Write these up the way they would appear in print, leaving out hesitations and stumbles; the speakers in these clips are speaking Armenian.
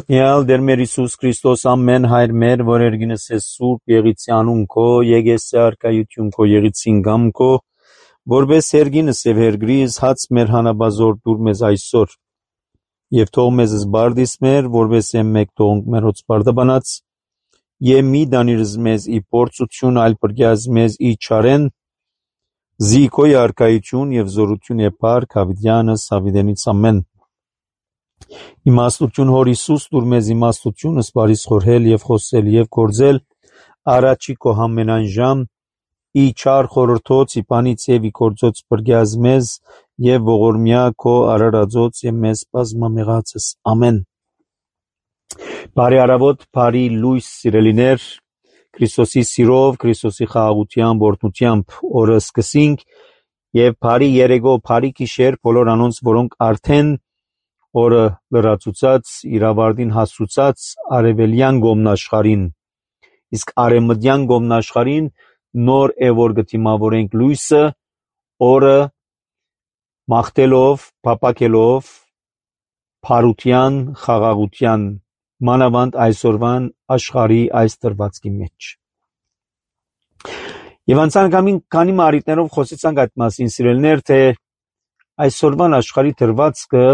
Օրհնյալ Տեր մեր Հիսուս Քրիստոս ամեն հայր մեր, որ երգինս է սուրբ եղիցի անուն քո, եկես է արքայություն քո եղիցին գամ քո, որպես երգինս եւ հերգրիս հաց մեր հանաբազոր դուր մեզ այսօր, եւ թող մեզ զբարդիս մեր, որպես եմ մեկ թողնք մեր հոց բարդաբանած, եւ մի դանիրս մեզ ի փորձություն, այլ պրգյազ մեզ ի չարեն, զի քո արքայություն եւ զորություն է փառք հավիտյանս հավիտենից ամեն։ Իմաստություն հոր Հիսուս դուր մեզ իմաստություն սպարիս խորհել եւ խոսել եւ գործել առաջի քո համենայն ժամ ի չար խորհրդոց ի բանից եւ ի գործոց բրգյազ մեզ եւ ողորմյա քո արարածոց եւ մեզ բազմամեղացս ամեն։ Բարի արավոտ, բարի լույս սիրելիներ, Քրիստոսի սիրով, Քրիստոսի խաղաղությամբ, օրհնությամբ օրը սկսենք եւ բարի երեկո, բարի գիշեր բոլոր անոնց, որոնք արդեն օրը լրացուցած, իրավարտին հասուցած արևելյան գոմնաշխարին, իսկ արևմտյան գոմնաշխարին նոր է որ գտիմավորենք լույսը, օրը մաղթելով, փափակելով, փարության, խաղաղության, մանավանդ այսօրվան աշխարհի այս դրվածքի մեջ։ Եվ անցանկամին քանի մարիտներով խոսեցանք այդ մասին, սիրելիներ, թե այսօրվան աշխարհի դրվածքը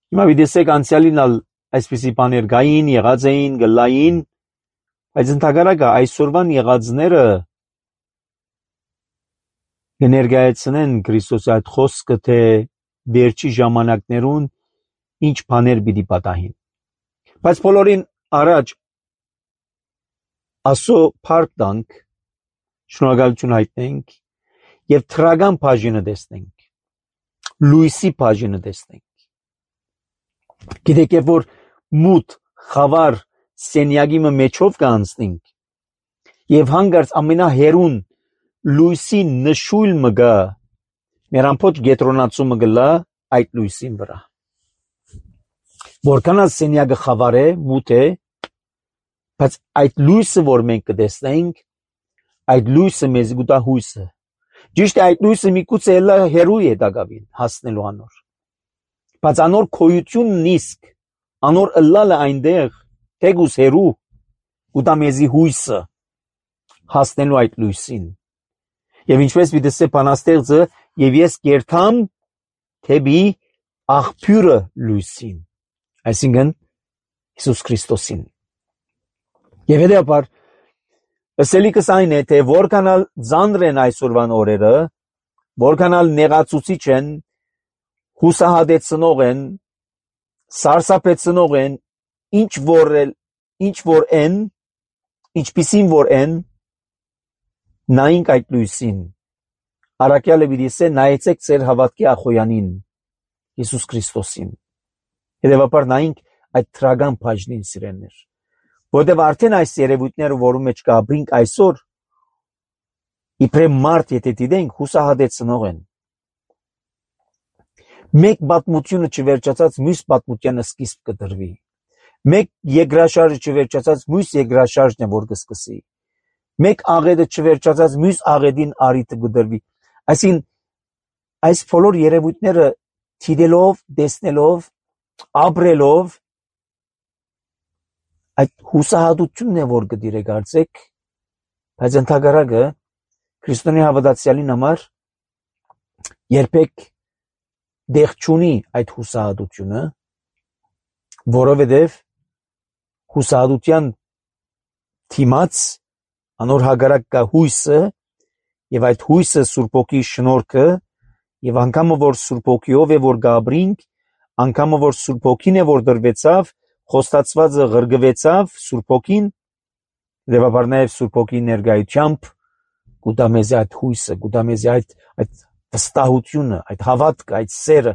հիմա videsek անցյալին այսպիսի բաներ գային, եղած էին, գլային, բայց ընդհակառակը այսօրվան եղածները կներկայացնեն Քրիստոսի այդ խոսքը, թե վերջի ժամանակներուն ինչ բաներ պիտի պատահին։ Բայց բոլորին առաջ ասո փառք տանք, շնորհակալություն հայտնենք եւ թրագան բաժինը տեսնենք, լույսի բաժինը տեսնենք։ Գիտեք, որ մութ խավար սենյակի մեջով կանցնենք եւ հանգարց ամենահերուն լույսի նշույլ մգա մեր ամփոփ գետրոնացումը գլա այդ լույսին վրա, որքան սենյակը խավար է, մութ է, բայց այդ լույսը, որ մենք կտեսնենք, այդ լույսը մեզ գուտա հույսը, ճիշտ է, այդ լույսը միգուցե էլա հերույ է դակավին հասնելու անոր, բայց անոր քոյությունն իսկ, անոր ըլլալը այնտեղ, թեգուս հերու, գուտա մեզի հույսը հասնելու այդ լույսին։ Եվ ինչպես videsե բանաստեղծը, եւ ես կերթամ թեպի աղբյուրը լույսին, այսինքն Հիսուս Քրիստոսին։ Եվ հետեւաբար ըսելիքս այն է, թե որքանալ ծանր են այսօրվան օրերը, որքանալ նեղացուցիչ են, հուսահատեցնող են, սարսափեցնող են, ինչպիսին որ են, նայենք այդ լույսին։ Առաքյալը videsե նայեցեք ձեր հավատքի ախոյանին, Հիսուս Քրիստոսին։ Հետևաբար նայենք այդ թրագան բաժնին, սիրելիներ, որտեղ արդեն այս երևույթները, որում մեջ կապրինք այսօր, իբրև մարդ եթե դիտենք, հուսահատեցնող են։ Մեկ պատմությունը չվերջացած մյուս պատմությանը սկիզբ կդրվի։ Մեկ երկրաշարժը չվերջացած մյուս երկրաշարժն է որ կսկսի։ Մեկ աղետը չվերջացած մյուս աղետին արիթը կդրվի։ Այսինքն այս բոլոր երևույթները դիտելով, տեսնելով, ապրելով այդ հուսահատությունն է որ կդիրեք արծեք, բայց ընդհակառակը քրիստոնյա հավատացյալին համար երբեք դեղ չունի այդ հուսահատությունը, որովհետև հուսահատության թիմած անոր հագարակ կա հույսը եւ այդ հույսը Սուրբ Օքի շնորհքը եւ անգամը որ Սուրբ Օքիով է որ գաբրինք, անգամը որ Սուրբ Օքին է որ դրվեցավ, խոստացվածը ղրգվեցավ Սուրբ Օքին, դեպաբար նաեւ Սուրբ Օքի ներկայությամբ գուտա մեզ այդ հույսը, գուտա մեզ այդ վստահությունը, այդ հավատքը, այդ սերը,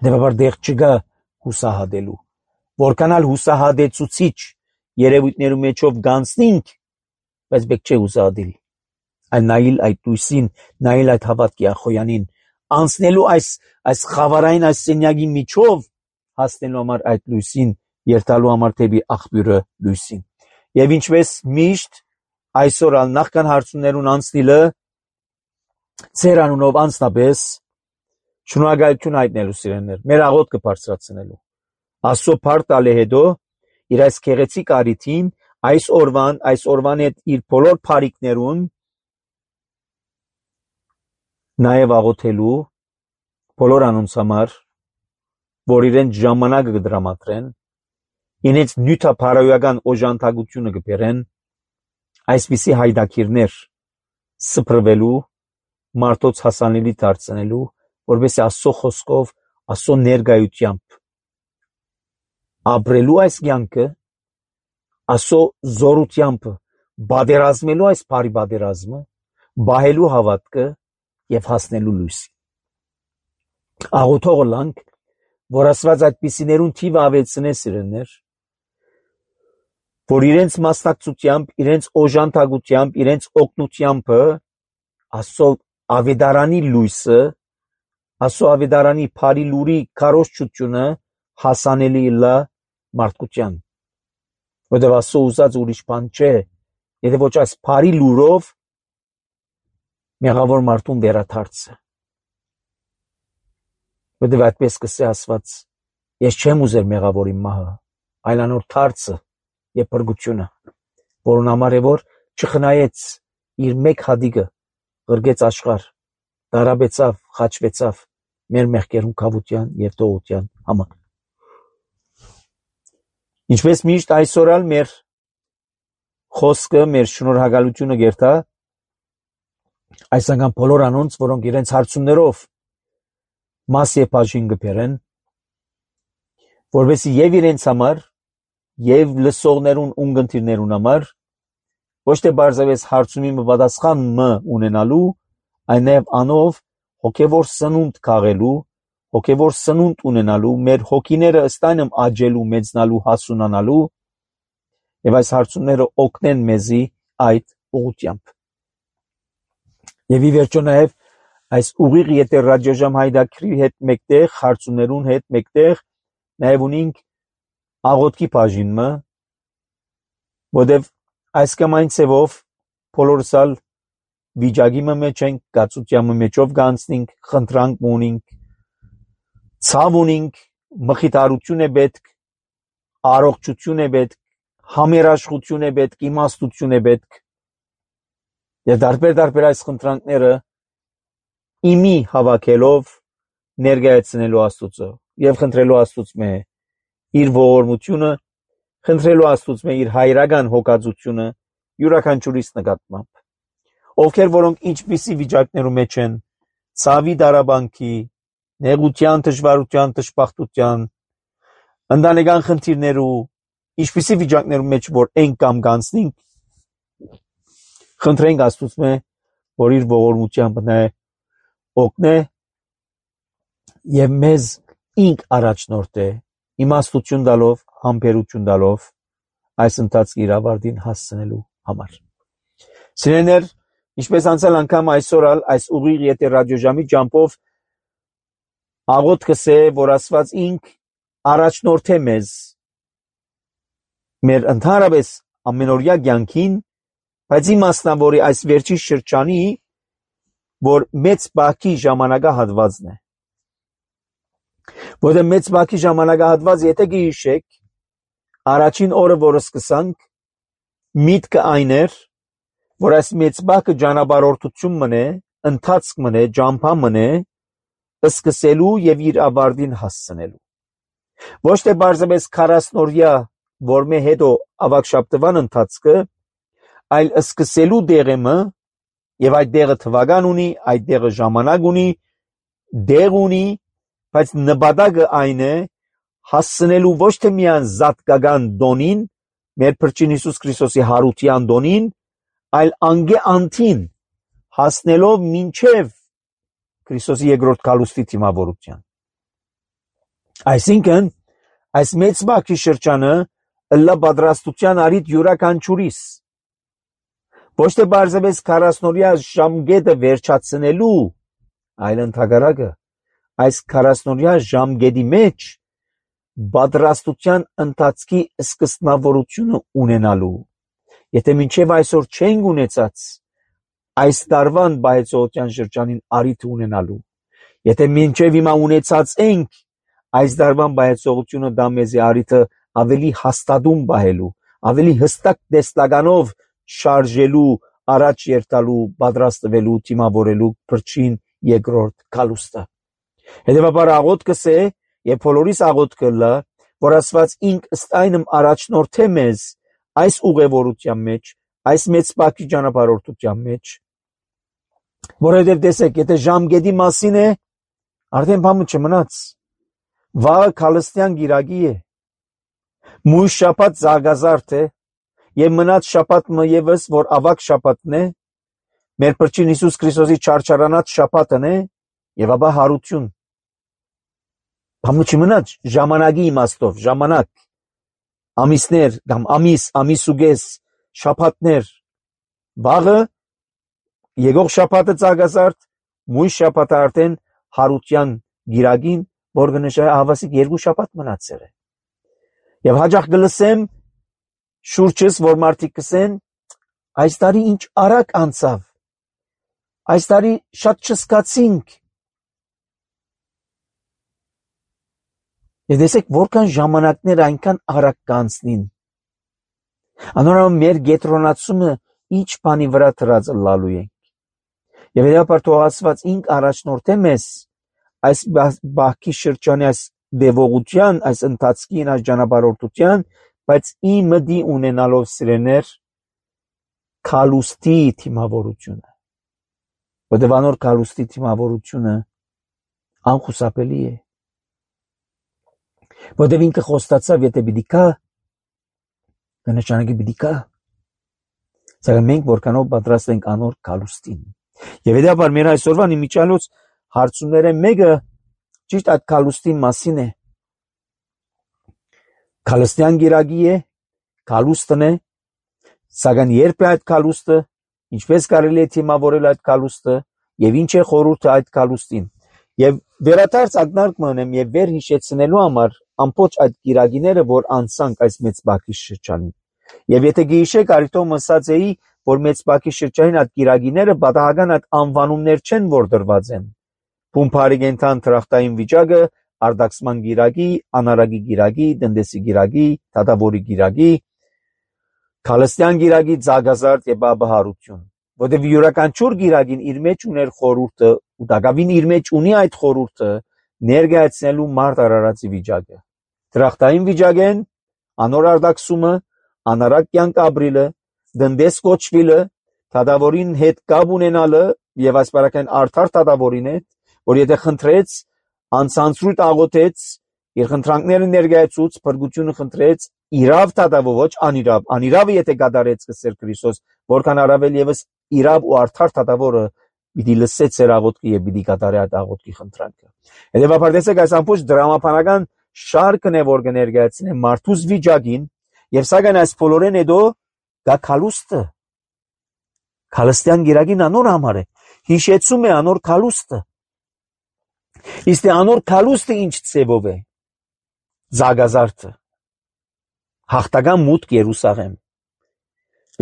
դեպաբար դեղ չկա հուսահատելու, որքանալ հուսահատեցուցիչ երևույթներու մեջով գանցնենք, բայց բեք չէ հուսահատել, այլ նայել այդ լույսին, նայել այդ հավատքի ախոյանին, անցնելու այս խավարային այս սենյակի միջով հասնելու համար այդ լույսին, երթալու համար թեպի աղբյուրը լույսին։ Եվ ինչպես միշտ այսօր նախքան հարցումներուն անցնելը ձեր անունով անձնապես շնորհակալություն հայտնելու սիրելիներ, մեր աղոթքը բարձրացնելու, Աստծո փառք տալի հետո իր այս քեղեցիկ արիթին այս օրվան հետ իր բոլոր փառիկներուն նաև աղոթելու բոլոր անոնց համար, որ իրենց ժամանակը կդրամատրեն, իրենց նյութափարոյական օժանդակությունը կբերեն, այսպիսի հայդակիրներ սփռվելու, մարդոց հասանելի դարձնելու, որովհետեւ Աստծո խոսքով, Աստծո ներկայությամբ ապրելու այս կյանքը, Աստծո զորությամբ բادرազմելու այս բարի բادرազմը, բահելու հավատքը եւ հասնելու լույսի։ Աղոթող լանք, որ Աստված այդպիսիներուն թիվը ավելցնե սիրելներ, որ իրենց մասնակցությամբ, իրենց օժանդակությամբ, իրենց օգնությամբ Աստծո ավետարանի լույսը, Աստծո ավետարանի բարի լուրի քարոզչությունը հասանելի լա մարդկության։ Որտեղ Աստծո ուզած ուրիշ բան չէ, եթե ոչ այս բարի լուրով մեղավոր մարդուն վերադարձը։ Որտեղ այդպես կսե Աստված, ես չեմ ուզել մեղավորի մահը, այլ անոր դարձը եւ բրգությունը, որուն համար է որ չխնայեց իր մեկ հադիկը, ղրգեց աշխարհ, դարաբեցավ, խաչվեցավ մեր մեղքերուն կավության եւ տողության համար։ Ինչպես միշտ այսօր ալ մեր խոսքը, մեր շնորհակալությունը գերտա այս անգամ բոլոր անոնց, որոնք իրենց հարցումներով մաս եւ բաժին կբերեն, որովհետեւ եւ իրենց համար եւ լսողներուն ունգընտիրներուն համար ոչ թե բարձրապես հարցումի պատասխանը ունենալու, այլ նաեւ անով հոգեվոր սնունդ քաղելու, հոգեվոր սնունդ ունենալու, մեր հոգիները ըստայնմ աճելու, մեծնալու, հասունանալու եւ այս հարցումները օգնեն մեզի այդ ուղղությամբ։ Եվ ի վերջո նաեւ այս ուղիղ եթե ռադիոժամ հայդակրի հետ մեկտեղ, հարցումներուն հետ մեկտեղ նաեւ ունենք աղոթքի բաժինը, որտեւ այս կամ այն ցևով բոլորս ալ վիճակի մեջ ենք, կացության մեջով գանցնենք, խնդրանք ունենք, ցավ ունենք, մխիթարություն է պետք, առողջություն է պետք, համերաշխություն է պետք, իմաստություն է պետք։ Եվ դարբեր այս խնդրանքները իմի հավաքելով ներկայացնելու Աստծո եւ խնդրելու Աստծո իր ողորմությունը, խնդրելու Աստծո իր հայրական հոգածությունը յուրաքանչյուրիս նկատմամբ, ովքեր որոնք ինչպիսի վիճակներում մեջ են, ցավի դարաբանքի, նեղության, դժվարության, դժբախտության, ընտանեկան խնդիրներու, ինչպիսի վիճակներում մեջ որ են կամ գանցնենք, խնդրենք Աստծո որ իր ողորմությամբ օգնե եւ մեզ ինք առաջնորդե, իմաստություն տալով, համբերություն տալով այս ընթացքի իրավարտին հասցնելու համար։ Սիրելիներ, ինչպես անցյալ անգամ այսօր այս ուղիղ եթե ռադիոժամի ջամփով աղոթքս է, որ Աստված ինք առաջնորդե մեզ մեր ընդհանրապես ամենօրյա կյանքին, բայց իմաստնավորի այս վերջի շրջանի, որ մեծ բախի ժամանակահատվածն է։ Որտեղ մեծ բախի ժամանակահատված եթե գիշեք, առաջին օրը որը սկսանք, միտքը այն էր, որ այս մեծ բախը ճանապարհորդություն մնե, ընթացք մնե, ջամփա մնե, սկսելու եւ իր ավարտին հասցնելու։ Ոչ թե բարձրապես 40 օրյա, որ մե հետո ավակշապտվան ընթացքը, այլ սկսելու դեղը եւ այդ դեղը թվական ունի, այդ դեղը ժամանակ ունի, դեղ ունի, բայց նպատակը այն է հասցնելու ոչ թե միայն զատկական դոնին, մեր Փրկին Հիսուս Քրիստոսի հարության դոնին, այլ անգե անտին հասնելով մինչև Քրիստոսի երկրորդ գալուստի դիմավորության։ Այսինքն, այս մեծ բախի շրջանը ըլլա պատրաստության արիտ յուրաքանչյուրիս։ Ոչ թե բարձրապես 40-օրյա ժամկետը վերջացնելու, այլ ընդհակառակը այս 40-օրյա ժամկետի մեջ պատրաստության ընթացքի սկզբնավորությունը ունենալու։ Եթե մինչև այսօր չենք ունեցած այս տարվան բայեցողության շրջանին արիթ ունենալու, եթե մինչև հիմա ունեցած ենք այս դարվան բայեցողությունը դա մեզի արիթը ավելի հաստատում բահելու, ավելի հստակ տեսլականով շարժելու, առաջ երթալու, պատրաստվելու, թիմավորելու փրկին երկրորդ կալուստը։ Հետևաբար աղոթքը է եւ բոլորիս աղոթքը լա, որ Աստված ինք ըստ այնմ առաջնորդե մեզ այս ուղևորության մեջ, այս մեծ պակի ճանապարհորդության մեջ, որովհետև տեսեք, եթե ժամկետի մասին է, արդեն բամը չմնաց, վաղը քալստյան գիրագի է, մույս շաբաթ զարգազարդ է, եւ մնաց շաբաթը եւս, որ ավակ շաբաթն է, մեր Փրկին Հիսուս Քրիստոսի չարչարանած շաբաթն է, եւ ապա հարություն։ Բամը չմնաց ժամանակի իմաստով, ժամանակ, ամիսներ կամ ամիսուգես, շաբաթներ, վաղը եկող շաբաթը զարգազարդ, մույս շաբաթը արդեն հարության գիրագին, որ կնշանակի հավասիկ 2 շաբաթ մնացել է։ Եվ հաջող կլսեմ շուրջս, որ մարդիկ կսեն, այս տարի ինչ արագ անցավ, այս տարի շատ չսկացինք։ Եվ տեսեք, որքան ժամանակներ այնքան արագ կանցնին։ Անորոշ մեր գետրոնացումը ինչ բանի վրա դրած լալու ենք։ Եվ հետապար թող Աստված ինք առաջնորդե մեզ այս բախքի շրջանի այս դեվողության, այս ընթացքին, այս ճանապարհորդության, բայց իմդի ունենալով սիրեներ քալուստի թիմավորությունը։ Որտեղ անոր քալուստի թիմավորությունը անխուսափելի է։ Որտեղ ինքը խոստացավ, եթե պիտի կա, կնշանակի պիտի կա։ Սակայն մենք որքանով պատրաստ ենք անոր քալուստին։ Եվ հետապար մեր այսօրվան իմիջիալոց հարցումները մեկը ճիշտ այդ քալուստի մասին է։ Քալստյան գիրագի է, քալուստն է, սակայն երբ է այդ քալուստը, ինչպես կարելի է թիմավորել այդ քալուստը եւ ինչ է խորհուրդը այդ քալուստին։ Եվ վերադարձ ակնարկ մնեմ եւ վեր հիշեցնելու համար ամբողջ այդ գիրագիները, որ անցանք այս մեծ բակի շրջանին։ Եվ եթե գիշեք արիտոմ ասած էի, որ մեծ բակի շրջանին այդ գիրագիները պատահական այդ անվանումներ չեն, որ դրված են։ Փումփարիգենտան տրախտային վիճակը, արդակսման գիրագի, անարագի գիրագի, դնդեսի գիրագի, դատավորի գիրագի, քալստյան գիրագի, զարգազարդ եւ ապահարություն։ Որտեղ յուրաքանչյուր գիրագին իր մեջ ուներ խորհուրդը, ու դակավին իր մեջ ունի այդ խորհուրդը ներկայացնելու մարդ արարածի վիճակը։ Տրախտային վիճակեն, անոր արդակսումը, անարակ կյանք ապրիլը, դնդես կոչվիլը, դատավորին հետ կապ ունենալը եւ ասպարական արդար դատավորին հետ, որ եթե խնդրեց, անցանցրույթ աղոթեց, իր խնդրանքները ներկայացուց, փրկությունը խնդրեց, իրավ դատավոր, ոչ անիրավ, անիրավը եթե կատարեց կսեր Քրիստոս, որքան առավել եւս իրավ ու արդար դատավորը պիտի լսեց իր աղոթքը եւ պիտի կատարի այդ աղոթքի խնդրանքը։ Հետեւաբար տեսեք այս ամբողջ դրամապանական շարքն է, որ կներկայացնի մարդուս վիճակին եւ սակայն այս բոլորեն հետո գա քալուստը։ Քալստյան գիրագին անոր համար է, հիշեցում է անոր քալուստը։ Իսկ անոր քալուստը ինչ ծևով է։ Զարգազարդը։ Հաղթական մուտք Երուսաղեմ։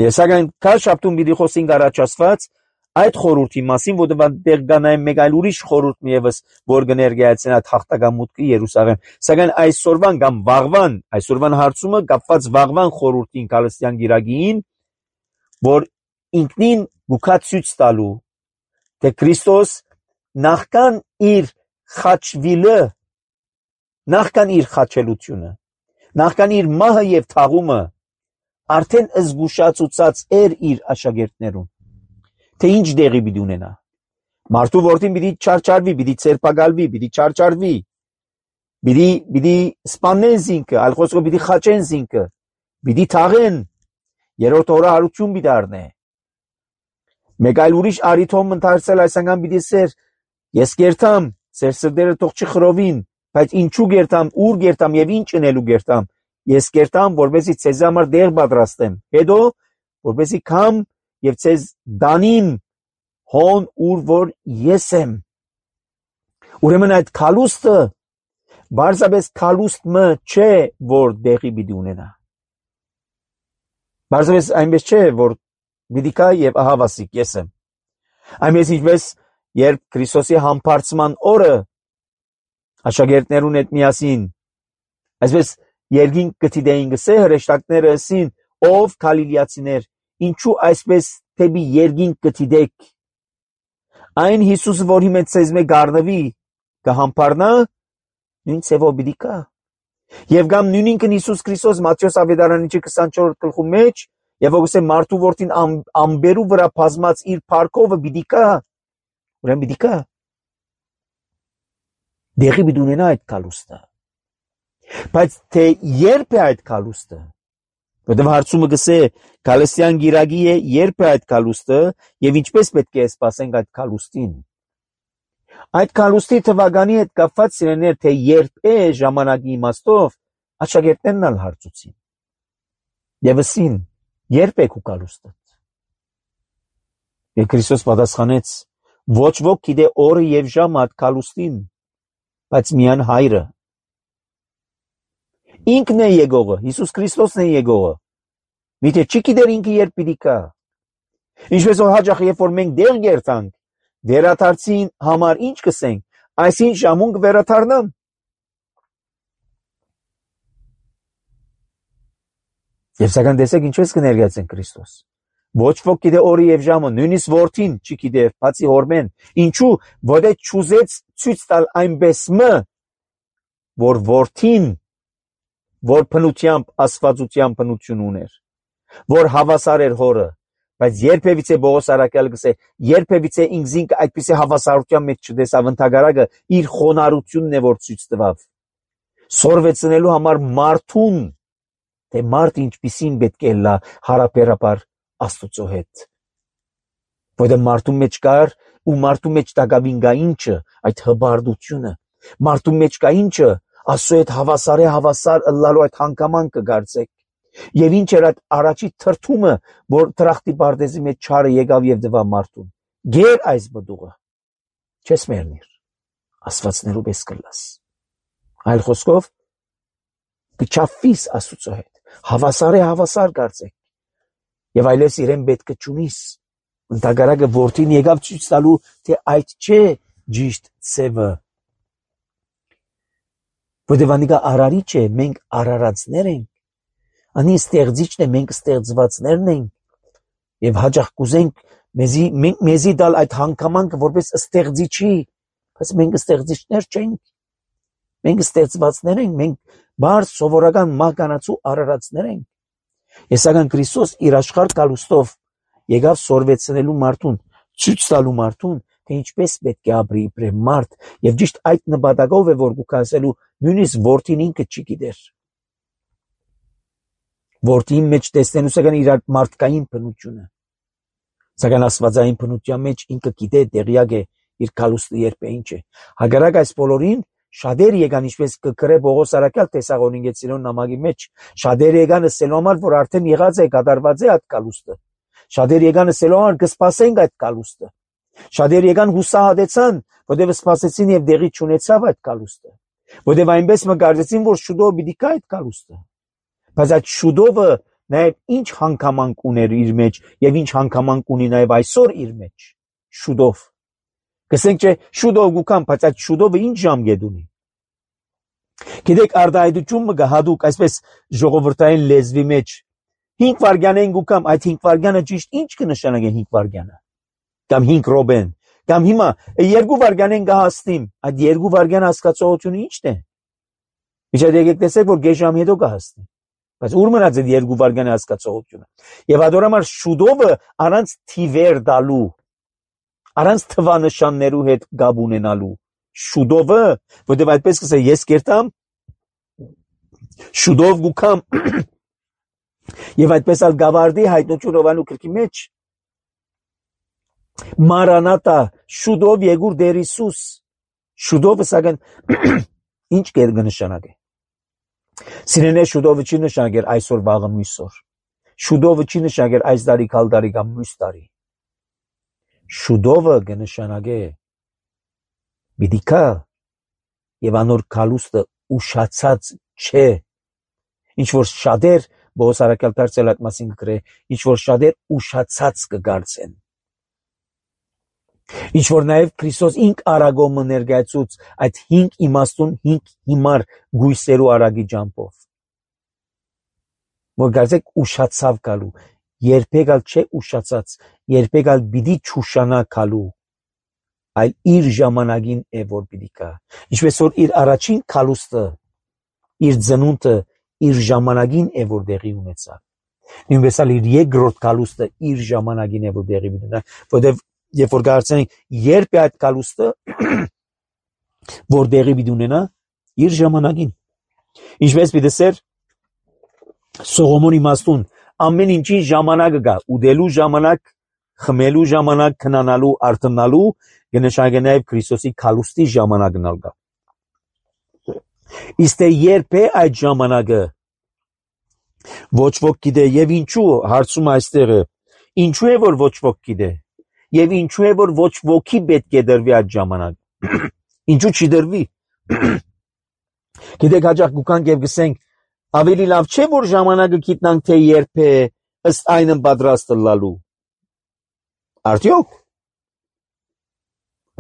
Ես սակայն քաշապտում պիտի խոսենք առաջացված այդ խորհրդի մասին, որտեղ դեր գանայ մեկ այլ ուրիշ խորհուրդ միևս, որ կներկայացնի այդ հաղթական մուտքը Երուսաղեմ։ Սակայն այսօրվան կամ վաղվան, այսօրվան հարցումը կապված վաղվան խորհրդին քալստյան գիրագին, որ ինքնին գուքա ցույց տալու, թե Քրիստոս նախքան իր խաչվիլը, նախքան իր խաչելությունը, նախքան իր մահը եւ թաղումը, արդեն զգուշացուցած էր իր աշակերտներուն, թե ինչ դեղի պիտի ունենա։ Մարդու որդին պիտի չարչարվի, պիտի ցերպակալվի, պիտի չարչարվի, պիտի սպանեն զինքը, այլ խոսքով պիտի խաչեն զինքը, պիտի թաղեն, երրորդ օրը հարություն պիտի առնե։ Մեկ այլ ուրիշ արիթոմ ընթարցել այս անգամ պիտի սեր, ես կերտամ, սեր սրտերը թող չխրովին, բայց ինչու կերտամ, ուր կերտամ եւ ինչ ընելու կերտամ, ես կերտամ, որպեսզի ցեզ համար դեղ պատրաստեմ, հետո որպեսզի կամ եւ ցեզ դանիմ հոն ուր որ ես եմ։ Ուրեմն այդ քալուստը բարձրապես քալուստը չէ, որ դեղի պիտի ունենա։ Բարձրապես այնպես չէ, որ պիտի կա եւ ահավասիկ ես եմ։ Այնպես ինչպես երբ Քրիստոսի համբարձման օրը Աշակերտներուն հետ միասին այսպես երկինք գտիդեին գսե հրեշտակները ասին ով գալիլեացիներ ինչու այսպես թեպի երկինք գտիդեք այն Հիսուսը որ հիմա ցեզ մե գարնվի կհամբարնա նույն ցևով պիտի կա եւ գամ նույնինքն Հիսուս Քրիստոս Մատթեոս ավետարանի 24 գլխու մեջ եւ ոգսե մարդու որդին ամբերու վրա բազմած իր парքովը պիտի կա ուրեմն պիտի կա դեղի պիտի ունենա այդ կալուստը բայց թե երբ է այդ կալուստը որտեղ հարցումը գսե Գալատյան գիրագի է երբ է այդ կալուստը եւ ինչպես պետք է սպասենք այդ կալուստին այդ կալուստի թվականի հետ կապված սիրելիներ թե երբ է ժամանակի իմաստով աշակերտներն ալ հարցուցին եւ ասին երբ է քու կալուստը եւ Քրիստոս պատասխանեց ոչ ոք գիտե օրը եւ ժամը այդ կալուստին բայց միայն հայրը ինքն է եկողը Հիսուս Քրիստոսն է եկողը Միթե չի գիտեր ինքը երբ պիտի կա ինչպես որ հաճախ երբ որ մենք դեր գերտանք վերաթարցին համար ինչ կսենք այսին ժամուն կվերաթարնամ եւ սակայն տեսեք ինչպես կներկայացեն Քրիստոս ոչ ոք գիտե օրը եւ ժամը նույնիսկ որդին չի գիտե բացի հորմեն ինչու որը ճուզեց ցույց տալ այնպես մը որ որդին որ փնությամբ աստվածության փնություն ուներ որ հավասար էր հորը բայց երբևիցե Պողոս արաքյալը գսե երբևիցե ինքզինք այդպիսի հավասարության մեջ չտեսավ ընդհակառակը իր խոնարհությունն է որ ցույց տվավ սորվեցնելու համար մարդուն թե մարդ ինչպիսին պետք է լա հարաբերաբար Աստծո հետ որը մարդու մեջ կար ու մարդու մեջ տակավին գա ինչը այդ հբարդությունը մարդու մեջ կա ինչը Աստծո հետ հավասար ըլլալու այդ հանգամանքը գարցեք եւ ինչ էր այդ առաջի թրթումը որ տրախտի բարձի մեջ չարը եկավ եւ դվա մարդուն գեր այս բդուղը չես մեռնիր աստվածներու պես կլաս այլ խոսքով կչափվիս Աստծո հետ հավասար գարցեք եւ այլևս իրեն պետք է ճունիս ընդհակառակը որդին եկավ ցույց տալու թե այդ չէ ճիշտ ցևը որտեղ անիկա արարիչ է մենք արարածներ ենք անի ստեղծիչն է մենք ստեղծվածներն ենք եւ հաճախ կուզենք մեզի դալ այդ հանգամանքը որպես ստեղծիչի բայց մենք ստեղծիչներ չենք մենք ստեղծվածներ ենք մենք բարձ սովորական մահկանացու արարածներ ենք Եսական Քրիստոս իր աշխարհ կալուստով եկավ սորվեցնելու մարդուն ցույց տալու մարդուն թե ինչպես պետք է ապրի իբրև մարդ եւ ճիշտ այդ նպատակով է որ կասելու նույնիսկ որդին ինքը չի գիտեր որդին մեջ տեսնելու սակայն իր մարդկային բնությունը սակայն աստվածային բնության մեջ ինքը գիտե տեղյակ է իր կալուստը երբ է ինչ է հակառակ այս բոլորին շատեր եկան ինչպես կգրե Պողոս արաքյալ Թեսաղոնիկեցիներուն նամակի մեջ շատեր եկան ասելու համար որ արդեն եղած է կատարված է այդ կալուստը շատեր եկան ասելու համար կսպասենք այդ կալուստը շատեր եկան հուսահատեցան որտեղ սպասեցին եւ դեղի չունեցավ այդ կալուստը որտեղ այնպես մգարցեցին որ շուտով պիտի կա այդ կալուստը բայց այդ շուտովը նաեւ ինչ հանգամանք ուներ իր մեջ եւ ինչ հանգամանք ունի նաեւ այսօր իր մեջ շուտով Կսենք չէ շուտով գուքամ, բայց այդ շուտովը ինչ ժամկետ ունի։ Գիտեք արդայդությունը գահադուկ այսպես ժողովրդային լեզվի մեջ 5 վայրկյան գուքամ, այդ 5 վայրկյանը ճիշտ ինչ կնշանակի 5 վայրկյանը։ Կամ 5 րոպեն, կամ հիմա 2 վայրկյան կհասնիմ, այդ 2 վայրկյան հասկացողությունը ի՞նչն է։ Միջա եկեք տեսեք որ գեժամ հետո կհասնի։ Բայց ուր մնաց այդ 2 վայրկյանի հասկացողությունը։ Եվ adorամար շուտովը առանց թիվեր դալու Առանց թվանշաններու հետ գաբ ունենալու շուտովը որտեղ այդպես կսե ես կերտամ շուտով գուքամ եւ այդպես ալ գավարդի հայտնություն Հովանու գրքի մեջ Մարանատա շուտով եկուր Տեր Հիսուս շուտովը սակայն ինչ կնշանակի Սիրենե շուտովը չի նշանակեր այսօր վաղը մյուսօր շուտովը չի նշանակեր այս տարի քալ տարի կամ մյուս տարի Շուտովը կնշանակե բիդիկա եւ անոր կալուստը ուշացած չէ ինչ որ շատեր Պողոս արաքյալ դարձել այդ մասին գրե ինչ որ շատեր ուշացած կգարցեն Ինչ որ նաև Քրիստոս ինք արագոմը ներկայացուց այդ 5 իմաստուն 5 հիմար գույսերու արագի ջամփով։ Որ գազեք ուշացավ գալու, երբեք ալ չէ ուշացած, երբեք ալ պիտի չուշանա գալու, այլ իր ժամանակին է որ պիտի գա։ Ինչպես որ իր առաջին քալուստը, իր ծնունդը իր ժամանակին է որ դեղի ունեցավ։ Նույնպես ալ իր երկրորդ քալուստը իր ժամանակին է որ դեղի ունեցավ, որտեղ երբ որ կարծենք երբ է այդ քալուստը որ դեղի պիտի ունենա իր ժամանակին։ Ինչպես պիտի սեր Սողոմոնի իմաստուն ամեն ինչի ժամանակը կա, ուդելու ժամանակ, խմելու ժամանակ, քնանալու, արթնալու, կնշանակի նաև Քրիստոսի քալուստի ժամանակն ալ կա։ Իսկ երբ է այդ ժամանակը ոչ ոք գիտե եւ ինչու հարցում այստեղը ինչու է որ ոչ ոք գիտե եւ ինչու է որ ոչ ոքի պետք է դրվի այդ ժամանակ ինչու չի դրվի գիտեք հաջող գուքանք եւ գսենք ավելի լավ չէ որ ժամանակը գիտնանք թե երբ է ըստ այնը պատրաստ լալու արդյոք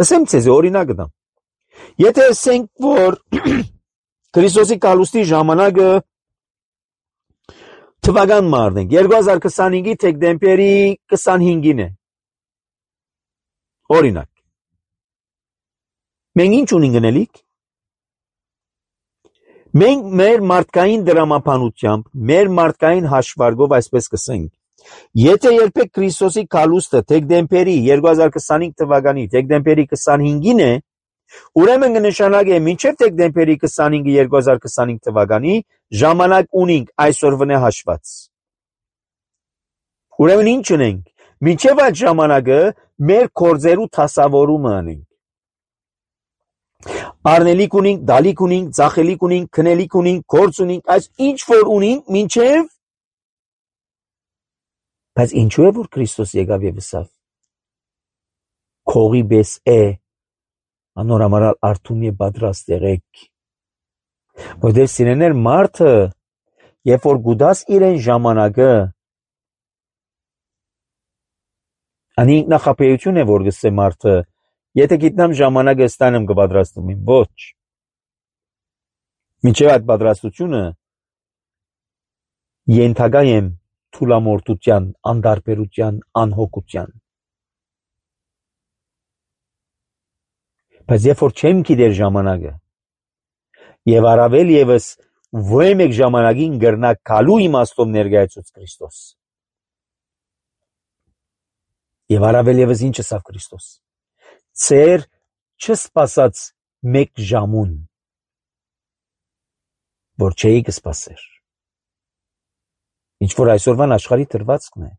ասեմ ցեզ օրինակ դամ եթե ասենք որ Քրիստոսի քալուստի ժամանակը թվական մարնենք 2025-ի դեկտեմբերի 25-ին է օրինակ մենք ինչ ունենք գնելիք մենք մեր մարդկային դրամապանությամբ մեր մարդկային հաշվարկով այսպես կսենք եթե երբեք Քրիստոսի քալուստը դեկտեմբերի 2025 թվականի դեկտեմբերի 25-ին է ուրեմն կնշանակի մինչև դեկտեմբերի 25-ը 2025 թվականի ժամանակ ունենք այսօրվա հաշված ուրեմն ինչ ունենք մինչև այդ ժամանակը մեր կորձերու թասավորումը ունենք Արնելիք ունենք, դալիք ունենք, ծախելիք ունենք, քնելիք ունենք, կորձ ունենք, այս ինչ որ ունենք մինչև բայց ինչու է որ Քրիստոս եկավ եւ ասավ քողի բես է անորամարալ արթուն է պատրաստ եղեք որտեղ սիրեներ մարդը երբ որ գուդաս իրեն ժամանակը անի ինքնախապեյություն է որ գսե մարդը եթե գիտնամ ժամանակը ստանամ կպատրաստում եմ ոչ մինչև այդ պատրաստությունը ենթակա եմ թուլամորտության անդարբերության անհոգության բայց երբ որ չեմ գիտեր ժամանակը եւ առավել եւս ոչ մեկ ժամանակին գրնա գալու իմաստով ներկայացուց Քրիստոս եւ առավել եւս ինչ ասավ Քրիստոս ծեր չսպասած մեկ ժամուն որ չէի կսպասեր ինչ որ այսօրվան աշխարհի դրվածքն է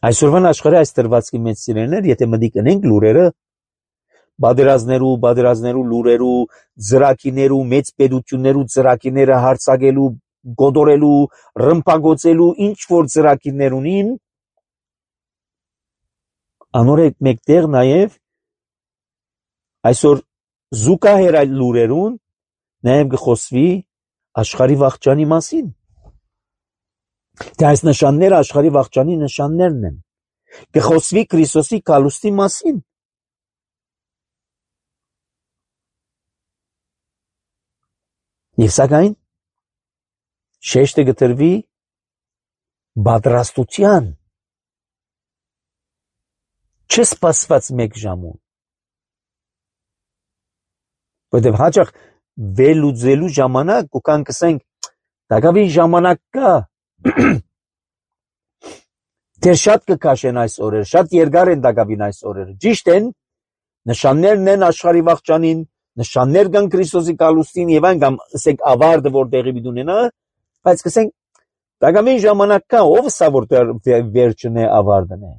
այսօրվան աշխարհի այս դրվածքի մեջ սիրելիներ եթե մտիկ ընենք լուրերը բادرազներու լուրերու ծրակիներու մեծ պետություններու ծրակիները հարցակելու գոդորելու ռմբագոցելու ինչ որ ծրակիներ ունին անորեք մեկտեղ նաև այսօր զուգահեռ այլ լուրերուն նաև գխոսվի աշխարհի վաղճանի մասին թե այս նշանները աշխարհի վաղճանի նշաններն են գխոսվի Քրիստոսի քալուստի մասին Եվ սակայն շեշտը գտրվի պատրաստության չսպասված մեկ ժամուն որտեղ հաճախ վերլուծելու ժամանակ ու կան կսենք դակավին ժամանակ կա դեր շատ կքաշեն այս օրերը շատ երկար են դակավին այս օրերը ճիշտ են նշաններն են աշխարհի վաղճանին նշաններ կան Քրիստոսի քալուստին եւ այն կամ ասենք ավարտը որ տեղի ունենա բայց կսենք դակամին ժամանակ կա ով սա որ վերջն է ավարտն է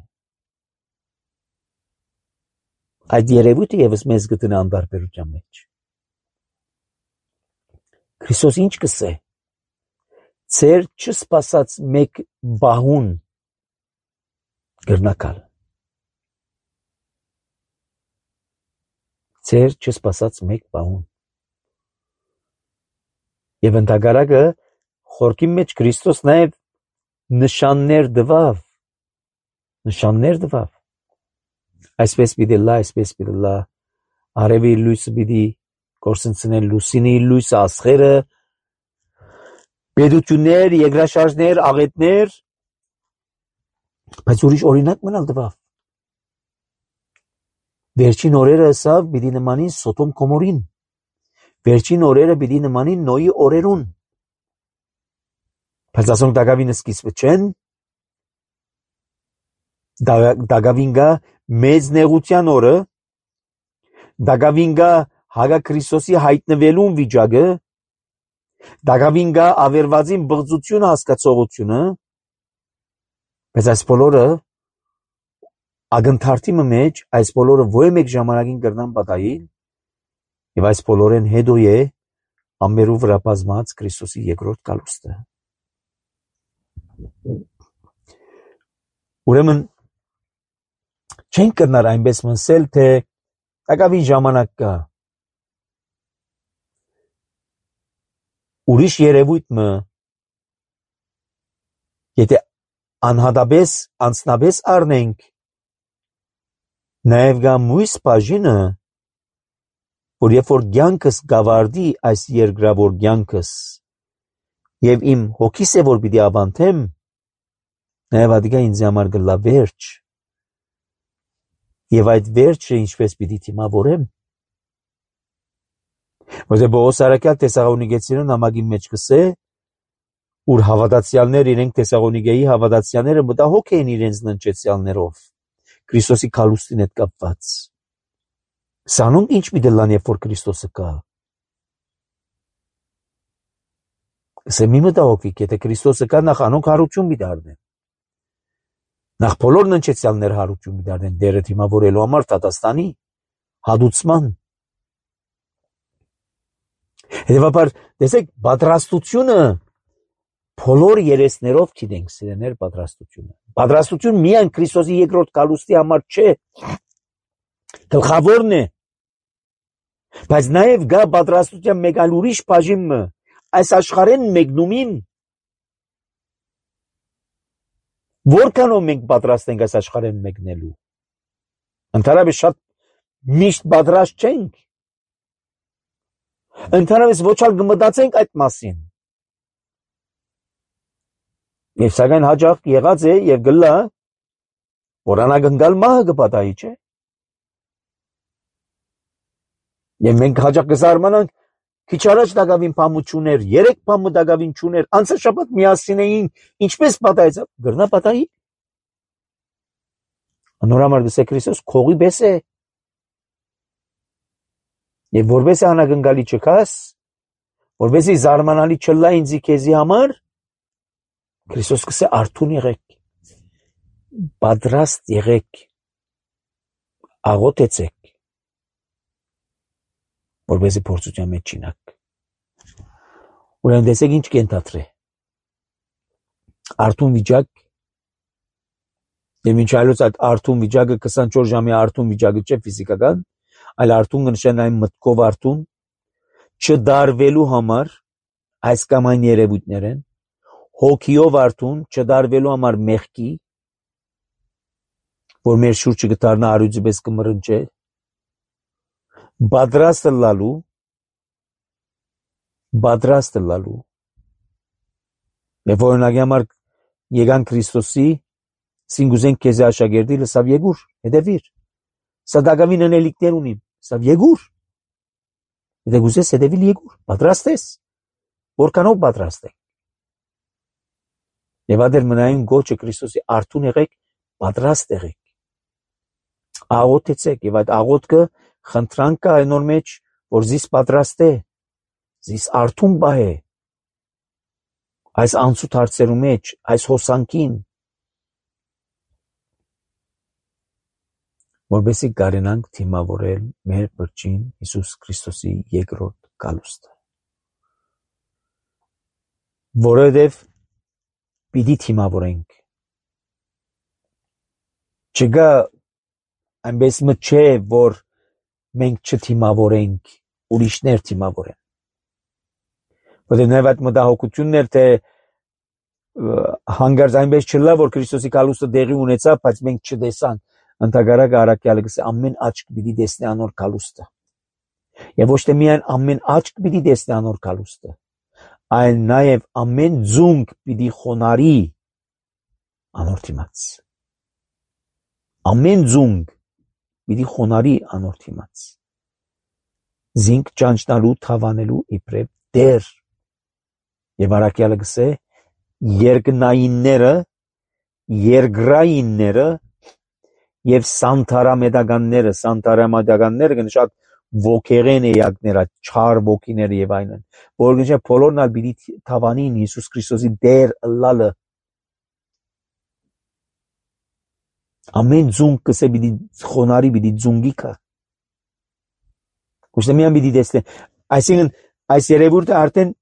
այդ երևույթը եւս մեզ գտնա անդարբերության մեջ Քրիստոս ինչ կսե ծեր չսպասած մեկ բահուն գրնակալ ծեր չսպասած մեկ բահուն եւ ընդհակառակը խորքի մեջ Քրիստոս նաեւ նշաններ դվավ Այսպես պիտի լա, այսպես պիտի լա, արևի լույսը պիտի կորսնցնել լուսինի լույսը, աստղերը, պետություններ, երկրաշարժներ, աղետներ, բայց ուրիշ օրինակ մնալ տվավ։ Վերջին օրերը ասավ պիտի նմանին Սոդոմ Գոմորին, վերջին օրերը պիտի նմանին Նոյի օրերուն, բայց ասոնք դակավին սկիզբը չեն, դակավին գա մեծ նեղության օրը, դակավին գա Հագա Քրիստոսի հայտնվելուն վիճակը, դակավին գա ավերվածին բղծությունը հասկացողությունը, բայց այս բոլորը ագնթարթի մեջ, այս բոլորը ոչ մեկ ժամանակին կրնան պատահիլ, եւ այս բոլորեն հետո է ամերու վրա բազմած Քրիստոսի երկրորդ գալուստը։ Ուրեմն չենք կրնար այնպես մնսել, թե դակավին ժամանակ կա։ Ուրիշ երևույթ մը, եթե անհատապես, անցնապես առնենք, նաև գա մույս բաժինը, որ երբ որ կյանքս գավարդի այս երկրավոր կյանքս, եւ իմ հոգիս է որ պիտի ավանդեմ, նաև ադիգա ինձ համար գլա վերջ, եւ այդ վերջը ինչպես պիտի թիմավորեմ, որտեղ Պողոս առաքյալ Թեսաղոնիկեցիներուն նամակի մեջ կսե, ուր հավատացյալներ իրենք Թեսաղոնիկեի հավատացյալները մտահոգ էին իրենց ննջեցյալներով, Քրիստոսի քալուստին հետ կապված։ Սանոնք ինչ պիտի լան, երբ որ Քրիստոսը կա։ Ասեմ մի մտահոգվիկ, եթե Քրիստոսը կա, նախ անոնք հարություն պիտի առնեն։ Նախ բոլոր ննջեցյալներ հարություն պիտի առնեն դերը թիմավորելու համար Տատաստանի հադուցման։ Հետևաբար, տեսեք, պատրաստությունը բոլոր երեսներով գիտենք, սիրեներ, պատրաստությունը։ Պատրաստություն միայն Քրիստոսի երկրորդ գալուստի համար չէ, գլխավորն է, բայց նաև գա պատրաստության մեկ այլ ուրիշ բաժինը, այս աշխարհեն մեկնումին, որքանով մենք պատրաստ ենք այս աշխարհեն մեկնելու։ Ընդհանրապես շատ միշտ պատրաստ չենք։ Ընդհանրապես ոչ ալ կմտածենք այդ մասին։ Եվ սակայն հաջող եղած է եւ գլա, որ անագնգալ մահը կպատահի, չէ։ Եվ մենք հաջող կզարմանանք, քիչ առաջ դակավին փամու չուներ, 3 փամու դակավին չուներ, անցած շաբաթ միասին էին, ինչպես պատահեց, գրնա պատահի։ Անորամար դեսե Քրիստոս քողի բես է։ Եվ որպես անագնգալի չկաս, որպեսզի զարմանալի չլա ինձի քեզի համար, Քրիստոս կսե արթուն եղեք, պատրաստ եղեք, աղոթեցեք, որպեսզի փորձության մեջ չինաք։ Ուրեմն տեսեք ինչ կենթատրե։ Արթուն վիճակ, եւ ինչ այլոց այդ արթուն վիճակը 24 ժամի արթուն վիճակը չէ ֆիզիկական, այլ արթուն կնշանակի մտքով արթուն, չդարվելու համար այս կամ այն երևույթներ են, հոգիով արթուն, չդարվելու համար մեղքի, որ մեր շուրջը կդառնա արյուծի պես կմռնչե, պատրաստը լալու, եւ օրինակի համար եկան Քրիստոսի, սինգուզենք քեզի աշակերտի լսավ եկուր, հետևիր, սա դակավին անելիքներ ունիմ, սա եկուր, եթե գուզես հետևիլ եկուր, պատրաստ ես, որքանով պատրաստ եք, եւ ադեր մնայուն գոչը Քրիստոսի արթուն եղեք, պատրաստ եղեք, աղոթեցեք եւ այդ աղոթքը խնդրանք կա այն օր մեջ, որ զիս պատրաստ է, զիս արթուն բահ է, այս անցուտ հարցերու մեջ, այս հոսանքին, որպեսզի կարենանք թիմավորել մեր բրջին Հիսուս Քրիստոսի երկրորդ գալուստը։ Որովհետև պիտի թիմավորենք։ Չկա այնպես մը չէ, որ մենք չթիմավորենք, ուրիշներ թիմավորեն։ Որտեղ նաև այդ մտահոգություններ, թե հանգարց այնպես չլա, որ Քրիստոսի գալուստը դեղի ունեցավ, բայց մենք չտեսանք։ Ընդհակառակը առաքյալը գսե ամեն աչք պիտի տեսնի անոր կալուստը։ Եվ ոչ թե միայն ամեն աչք պիտի տեսնի անոր կալուստը, այլ նաև ամեն ձունգ պիտի խոնարի անոր դիմաց։ Ամեն ձունգ պիտի խոնարի անոր դիմաց։ Զինք ճանչնալու թավանելու իբրև դեր։ Եվ առաքյալը գսե երկնայինները, երկրայինները եւ սանտարամետականները գնշակ ոգեղեն էակները, չար ոգիները եւ այլն, որ գնշակ բոլորն ալ պիտի թավանին Հիսուս Քրիստոսի դեր ըլլալը։ Ամեն ձունգ կսե պիտի խոնարի, պիտի ձունգիկա։ Ոչ թե միայն պիտի տեսնե, այսինքն այս երևույթը արդեն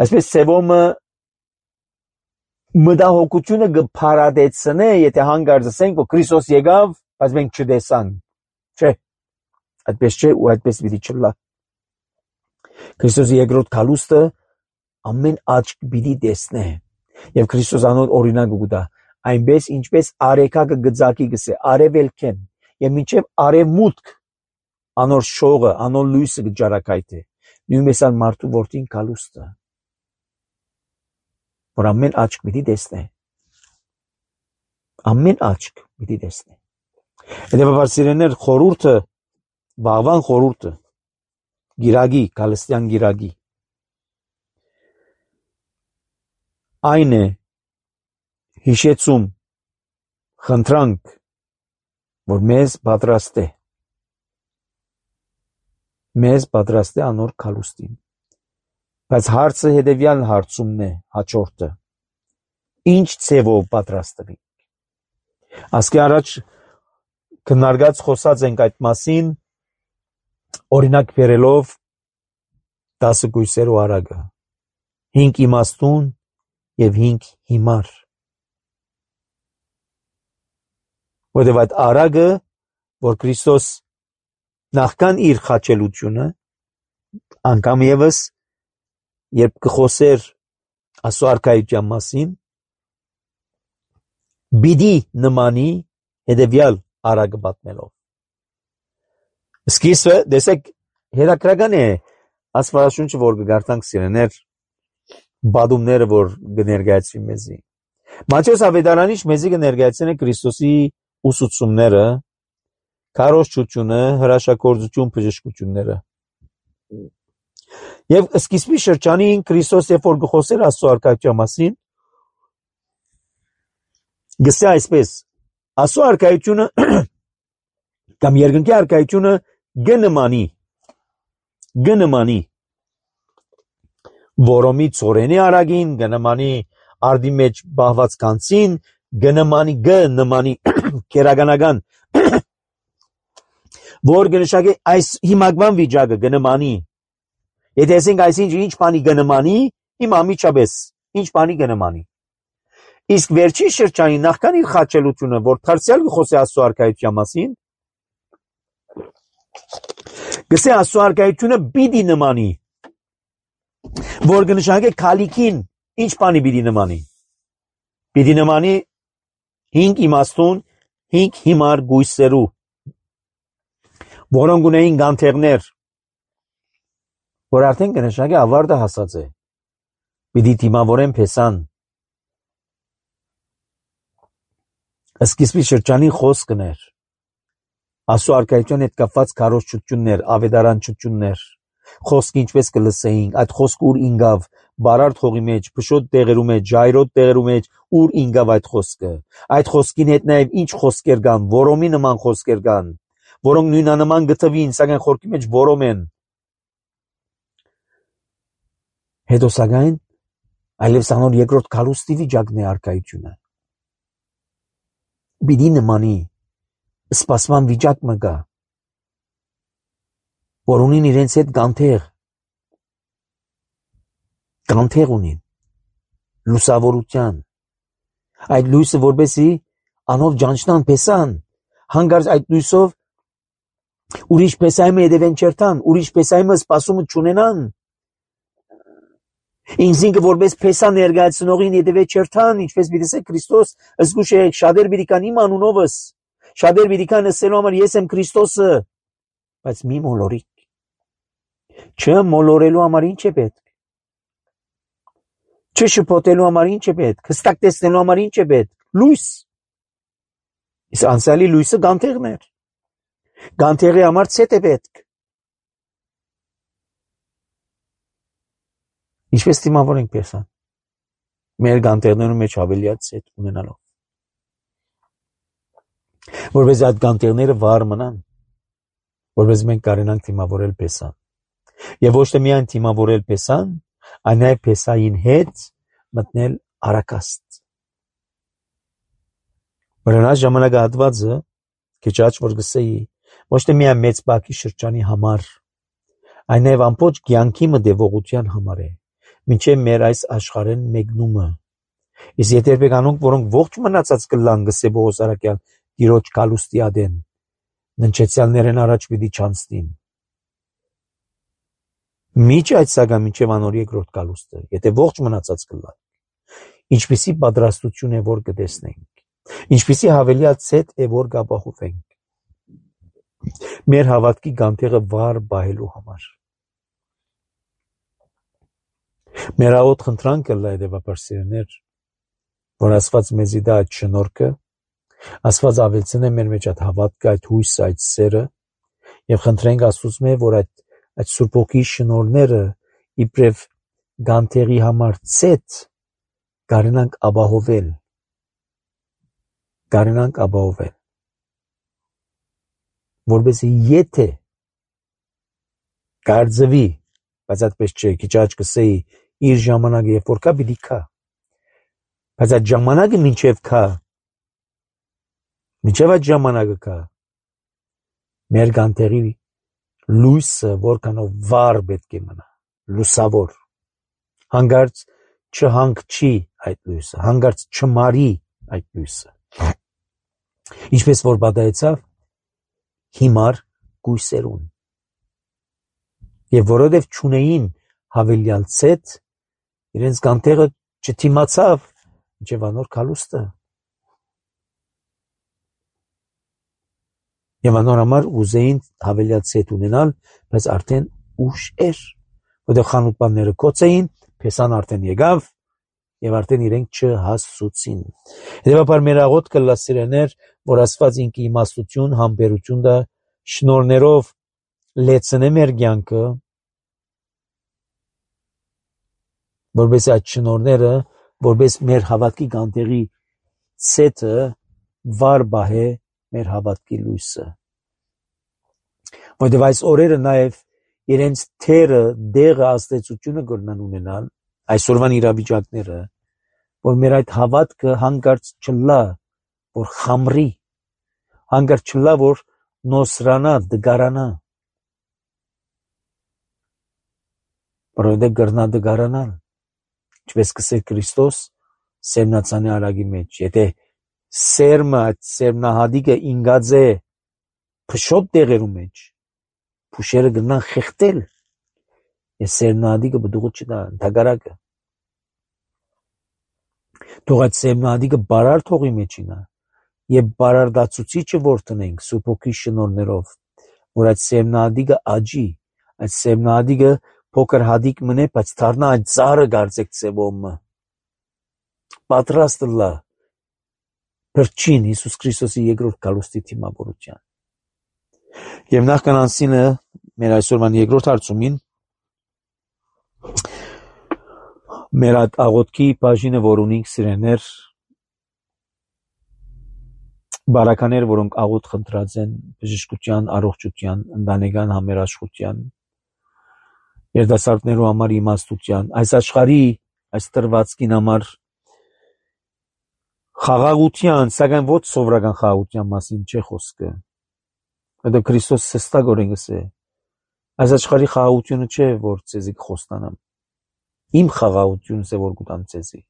այսպես սևոմը մտահոգությունը կփարադեցնե, եթե հանգարց ասենք, որ Քրիստոս եկավ, բայց մենք չտեսանք։ Չէ, այդպես չէ ու այդպես պիտի չլա։ Քրիստոսի երկրորդ կալուստը ամեն աչք պիտի տեսնե։ Եվ Քրիստոս անոր օրինակը կուտա, այնպես ինչպես արեքակը գծակի գսե, արևելքեն, եւ մինչև արևմուտք անոր շողը, անոր լույսը կջարակայթե։ Նույնպես ան մարդու որդին կալուստը, որ ամեն աչք պիտի տեսնե։ Ամեն աչք պիտի տեսնե։ Հետևաբար սիրեներ, խորհուրդը, բաղվան խորհուրդը, գիրագի, կալստյան գիրագի, այն է հիշեցում, խնդրանք, որ մեզ պատրաստ է անոր կալուստին։ Բայց հարցը հետևյալ հարցումն է, հաջորդը. ինչ ցևով պատրաստվի։ Ասկի առաջ քննարկած խոսած ենք այդ մասին, օրինակ բերելով 10 գույսերու արագը, 5 իմաստուն եւ 5 հիմար։ Որտեւ այդ արագը, որ Քրիստոս նախքան իր խաչելությունը, անգամ եւս երբ կխոսեր Աստծո արքայության մասին, բիդի նմանի հետևյալ արագը պատմելով։ Սկիզբը, դեսեք, հետաքրական է Աստվածաշունչը, որ կգարտանք սիրեներ, բադումները, որ կներկայացվի մեզի։ Մատթեոս ավետարանիչ մեզի կներկայացնի Քրիստոսի ուսուցումները, քարոզչությունը, հրաշագործություն, բժշկությունները։ Եվ սկիզբի շրջանին Քրիստոս երբ որ գխոսեր Աստծո արքայության մասին, գսե այսպես. Աստծո արքայությունը կամ երկնքի արքայությունը գնմանի որոմի ծորենի արագին, գնմանի արդի մեջ բահված կանցին, գնմանի քերականական որ գնշակե այս հիմակվան վիճակը գնմանի։ Եթե ասենք այսինչ ինչ բանի գնմանի, հիմա միջաբես ինչ բանի գնմանի։ Իսկ վերջին շրջանի նախքան իր խաչելությունը, որ դարձյալ գխոսի Աստծո արքայության մասին, գսե Աստծո արքայությունը պիտի նմանի, որ գնշակե քալիքին ինչ բանի պիտի նմանի։ Պիտի նմանի 5 իմաստուն, 5 հիմար գույսերու, որոնք ունեին գանթեղներ, որ արդեն կնշակե ավարտը հասած է։ Պիտի դիմավորեն փեսան։ Սկիզբի շրջանի խոսքն էր։ Աստծո արքայության հետ կապված քարոզչություններ, ավետարանչություններ, խոսք ինչպես կլսեինք, այդ խոսքը ուր ինգավ, բարարդ հողի մեջ, փշոտ տեղերու մեջ, ժայռոտ տեղերու մեջ, ուր ինգավ այդ խոսքը։ Այդ խոսքին հետ նաև ինչ խոսքեր կան, որոմի նման խոսքեր կան, որոնք նույնանման գտվին, սակայն խորքի մեջ որոմ են։ Հետո սակայն այլևս անոր երկրորդ կալուստի վիճակն է արքայությունը։ Պիտի նմանի սպասման վիճակ մը կա, որ ունին իրենց հետ գանթեղ ունին, լուսավորության, այդ լույսը որպեսի անով ջանչնան պեսան, հանգարց այդ լույսով ուրիշ պեսայմը հետևեն չերտան, ուրիշ պեսայմը սպասումը չունենան, ինքզինքը որպես պեսա ներկայացնողին հետևե չերտան, ինչպես պիտի ասե Քրիստոս, զգուշ եք, շատեր պիտի կան իմ անունովս, Շատեր պիտի կան ասելու համար ես եմ Քրիստոսը, բայց մի մոլորիկ։ Չմոլորելու համար ինչ է պետք։ Չշփոթելու համար ինչ է պետք։ Հստակ տեսնելու համար ինչ է պետք։ Լույս։ Իսկ անցյալի լույսը գանթեղն էր։ Գանթեղի համար ցետ է պետք։ Ինչպես դիմավորենք Պեսան։ Մեր գանթեղներում մեջ ավելիած ցետ ունենալով։ Որպես այդ գանթեղները վառ մնան, որպես մենք կարենանք դիմավորել Պեսան։ Եվ ոչ թե միայն դիմավորել Պեսան, այլ նաև Պեսային հետ մտնել արակաստ։ Վրանած ժամանակահատվածը քիչ աճ որ գսեի, ոչ թե միայն մեծ բակի շրջանի համար, այլ նաև ամբողջ կյանքի մտևողության համար է, մինչև մեր այս աշխարհեն մեկնումը։ Իսկ եթե երբեկանոնք, որոնք ողջ մնացած կլան գսե Պողոս առաքյալ Տիրոջ գալուստի ադեն, ննչեցյալներեն առաջ պիտի չանցնին։ Միջ այդ սակայն մինչև անոր երկրորդ գալուստը, եթե ողջ մնացած կլան, ինչպիսի պատրաստություն է որ կտեսնենք, ինչպիսի հավելյալ ցետ է որ կապահովենք, մեր հավատքի գանթեղը վառ բահելու համար։ Մեր աղոտ խնդրանքը լա հետևաբար սիրներ, որ Աստված մեզի դա այդ շնորհքը, Աստված ավելցնե մեր մեջ այդ հավատքը, այդ հույսը, այդ սերը, եւ խնդրենք Աստծուց որ այդ Սուրբ Հոգի շնորհները իբրև գանթեղի համար ցետ կարենանք ապահովել, որպեսզի եթե կարծվի, բայց այդպես չէ, քիչ աճ կսեի, իր ժամանակը երբ որ կա պիտի կա, բայց այդ ժամանակը մինչև այդ ժամանակը կա, մեր գանթեղի լույսը որքանով վառ պետք է մնա, լուսավոր, հանգարց չհանգչի այդ լույսը, հանգարց չմարի այդ լույսը, ինչպես որ պատահեցավ հիմար գույսերուն, եւ որովհետեւ չունեին հավելյալ ցետ, իրենց գանթեղը չթիմացավ մինչև անոր գալուստը։ Եվ անոր համար ուզեին հավելյալ ցետ ունենալ, բայց արդեն ուշ էր, որտեղ խանութպանները կոց էին, Պեսան արդեն եկավ եւ արդեն իրենք չհասցուցին։ Հետևաբար մեր աղոտ կլա սիրեներ, որ Աստված ինքը իմաստություն, համբերություն դա շնորներով լեցնե մեր կյանքը, որպես այդ շնորները, որպես մեր հավատքի գանթեղի ցետը վառ բահե մեր հավատքի լույսը։ Որտեւ այս օրերը նաև իրենց թերը, դեղը, աստեցությունը կգնան ունենալ, այսօրվան իրավիճակները, որ մեր այդ հավատքը հանգարց չլա, որ խամրի, հանգարց չլա, որ նոսրանա, դգարանա, որովհետեւ կգնա դգարանալ, ինչպես կսե Քրիստոս սերմնացանի արագի մեջ, եթե սերմը, այդ սերմնահադիկը ինգած է փշոտ տեղերու մեջ, փուշերը գնան խեղտել, եւ սերմնահադիկը բդուղը չդա, ընդհակառակը։ Թող այդ սերմնահադիկը բարար թողի մեջինա, եւ բարարդացուցիչը որ տնենք Սուրբ Հոգի շնորհներով, որ այդ սերմնահադիկը աճի, այդ սերմնահադիկը փոքր հադիկ մնե, բայց դառնա այդ ծառը գարձեք ծևոմը, պատրաստ լա Փրկին Հիսուս Քրիստոսի երկրորդ գալուստի թիմավորության։ Եվ նախքան անցնելը մեր այսօրվան երկրորդ հարցումին մեր այդ աղոթքի բաժինը, որ ունենք սիրեներ, բարականեր, որոնք աղոթ խնդրած են բժշկության, առողջության, ընտանեկան համերաշխության, երիտասարդներու համար իմաստության, այս աշխարհի, այս տրվածքին համար խաղաղության, սակայն ոչ սովորական խաղաղության մասին չէ խոսքը։ Որտեղ Քրիստոս հստակորեն գսե, այս աշխարհի խաղաղությունը չէ, որ ցեզի կխոստանամ։ Իմ խաղաղությունս է, որ կտամ ցեզի։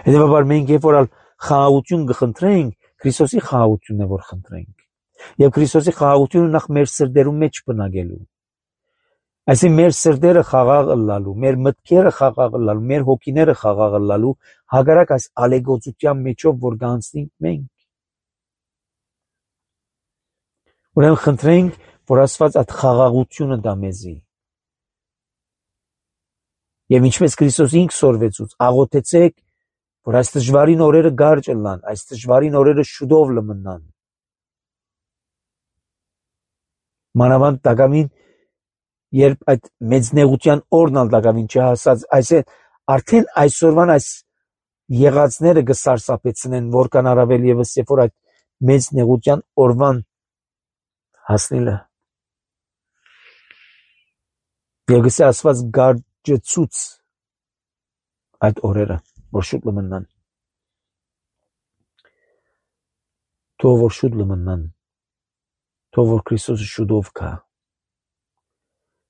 Հետևաբար մենք երբ որ խաղաղություն կխնդրենք, Քրիստոսի խաղաղությունն է, որ խնդրենք։ Եվ Քրիստոսի խաղաղությունը նախ մեր սրտերում մեջ բնակելու։ Այսինքն մեր սրտերը խաղաղ լալու, մեր մտքերը խաղաղ լալու, մեր հոգիները խաղաղ լալու, հակառակ այս ալեգոծության մեջով որ կանցնենք մենք։ Ուրեմն խնդրենք, որ Աստված այդ խաղաղությունը տա մեզի։ Եվ ինչպես Քրիստոս ինքը սորվեցուց, աղոթեցեք, որ այս դժվարին օրերը գարջ լան, այս դժվարին օրերը շուտով լմնան։ Մանավանդ դակամին, երբ այդ մեծ նեղության օրն ալ դակամին չհասած, արդեն այսօրվան այս եղածները կսարսափեցնեն, որքան առավել ևս երբ որ այդ մեծ նեղության օրվան հասնելը։ Եվ գսե Աստված գարջեցուց այդ օրերը, որ շուտ լմնան։ Թող որ շուտ լմնան, թող որ Քրիստոսը շուտով գա։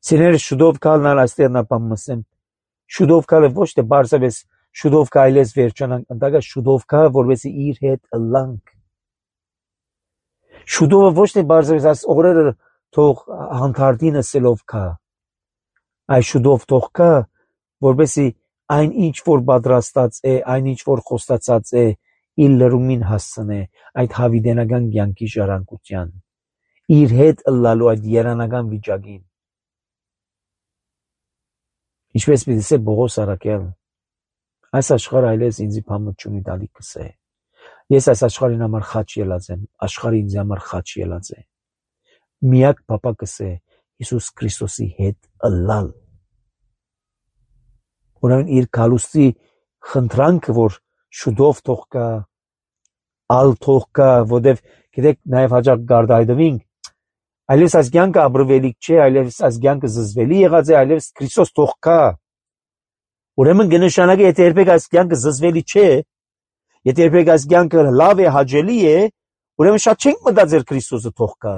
Սիրելիներ, շուտով գալն այստեղ նա բան մսեմ, շուտով գալը ոչ թե բարձրապես շուտով գա այլես վերջանանք, ընդհակառ շուտով գա, որովհետեւ իր հետ ըլլանք։ Շուտովը ոչ թե բարձրապես այս օրերը թող հանդարտին ասելով գա, այլ շուտով թող գա, որովհետեւ այն ինչ որ պատրաստած է, այն ինչ որ խոստացած է, իր լրումին հասցնե այդ հավիտենական կյանքի ժառանգության, իր հետ ըլլալու այդ երանական վիճակին։ Ինչպես պիտի ասե Պողոս առաքյալ, այս աշխարհը այլևս ինձի բամը չունի դալիքս է։ Ես այս աշխարհին համար խաչ ելած եմ, աշխարհը ինձ համար խաչ ելած է։ Միակ փապակս է Հիսուս Քրիստոսի հետ ըլլալ։ Ուրեմն իր գալուստի խնդրանքը, որ շուտով թող գա, ալ թող գա, որտեվ գիտեք նաև հաջող գարդայդվինք, այլևս այս կյանքը ապրվելիք չէ, այլևս այս կյանքը զզվելի եղած է, այլևս Քրիստոս թող գա։ Ուրեմն կնշանակի, եթե երբեք այս կյանքը զզվելի չէ, եթե երբեք այս կյանքը լավ է, հաճելի է, ուրեմն շատ չենք մտածել Քրիստոսը թող գա։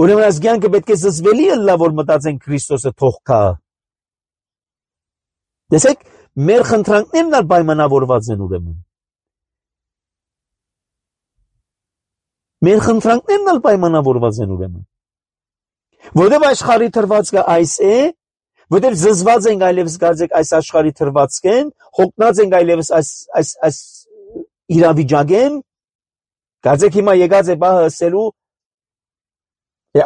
Ուրեմն այս կյանքը պետք է զզվելի ըլլա, որ մտածենք Քրիստոսը թող գա։ Տեսեք, մեր խնդրանքներն ալ պայմանավորված են ուրեմն։ Մեր խնդրանքներն ալ պայմանավորված են ուրեմն։ Որտեւ աշխարհի թրվածքը այս է, որտեւ զզված ենք այլևս գարձեք այս աշխարհի թրվածքեն, հոգնած ենք այլևս այս իրավիճակեն, գարձեք հիմա եկած է բահը ասելու,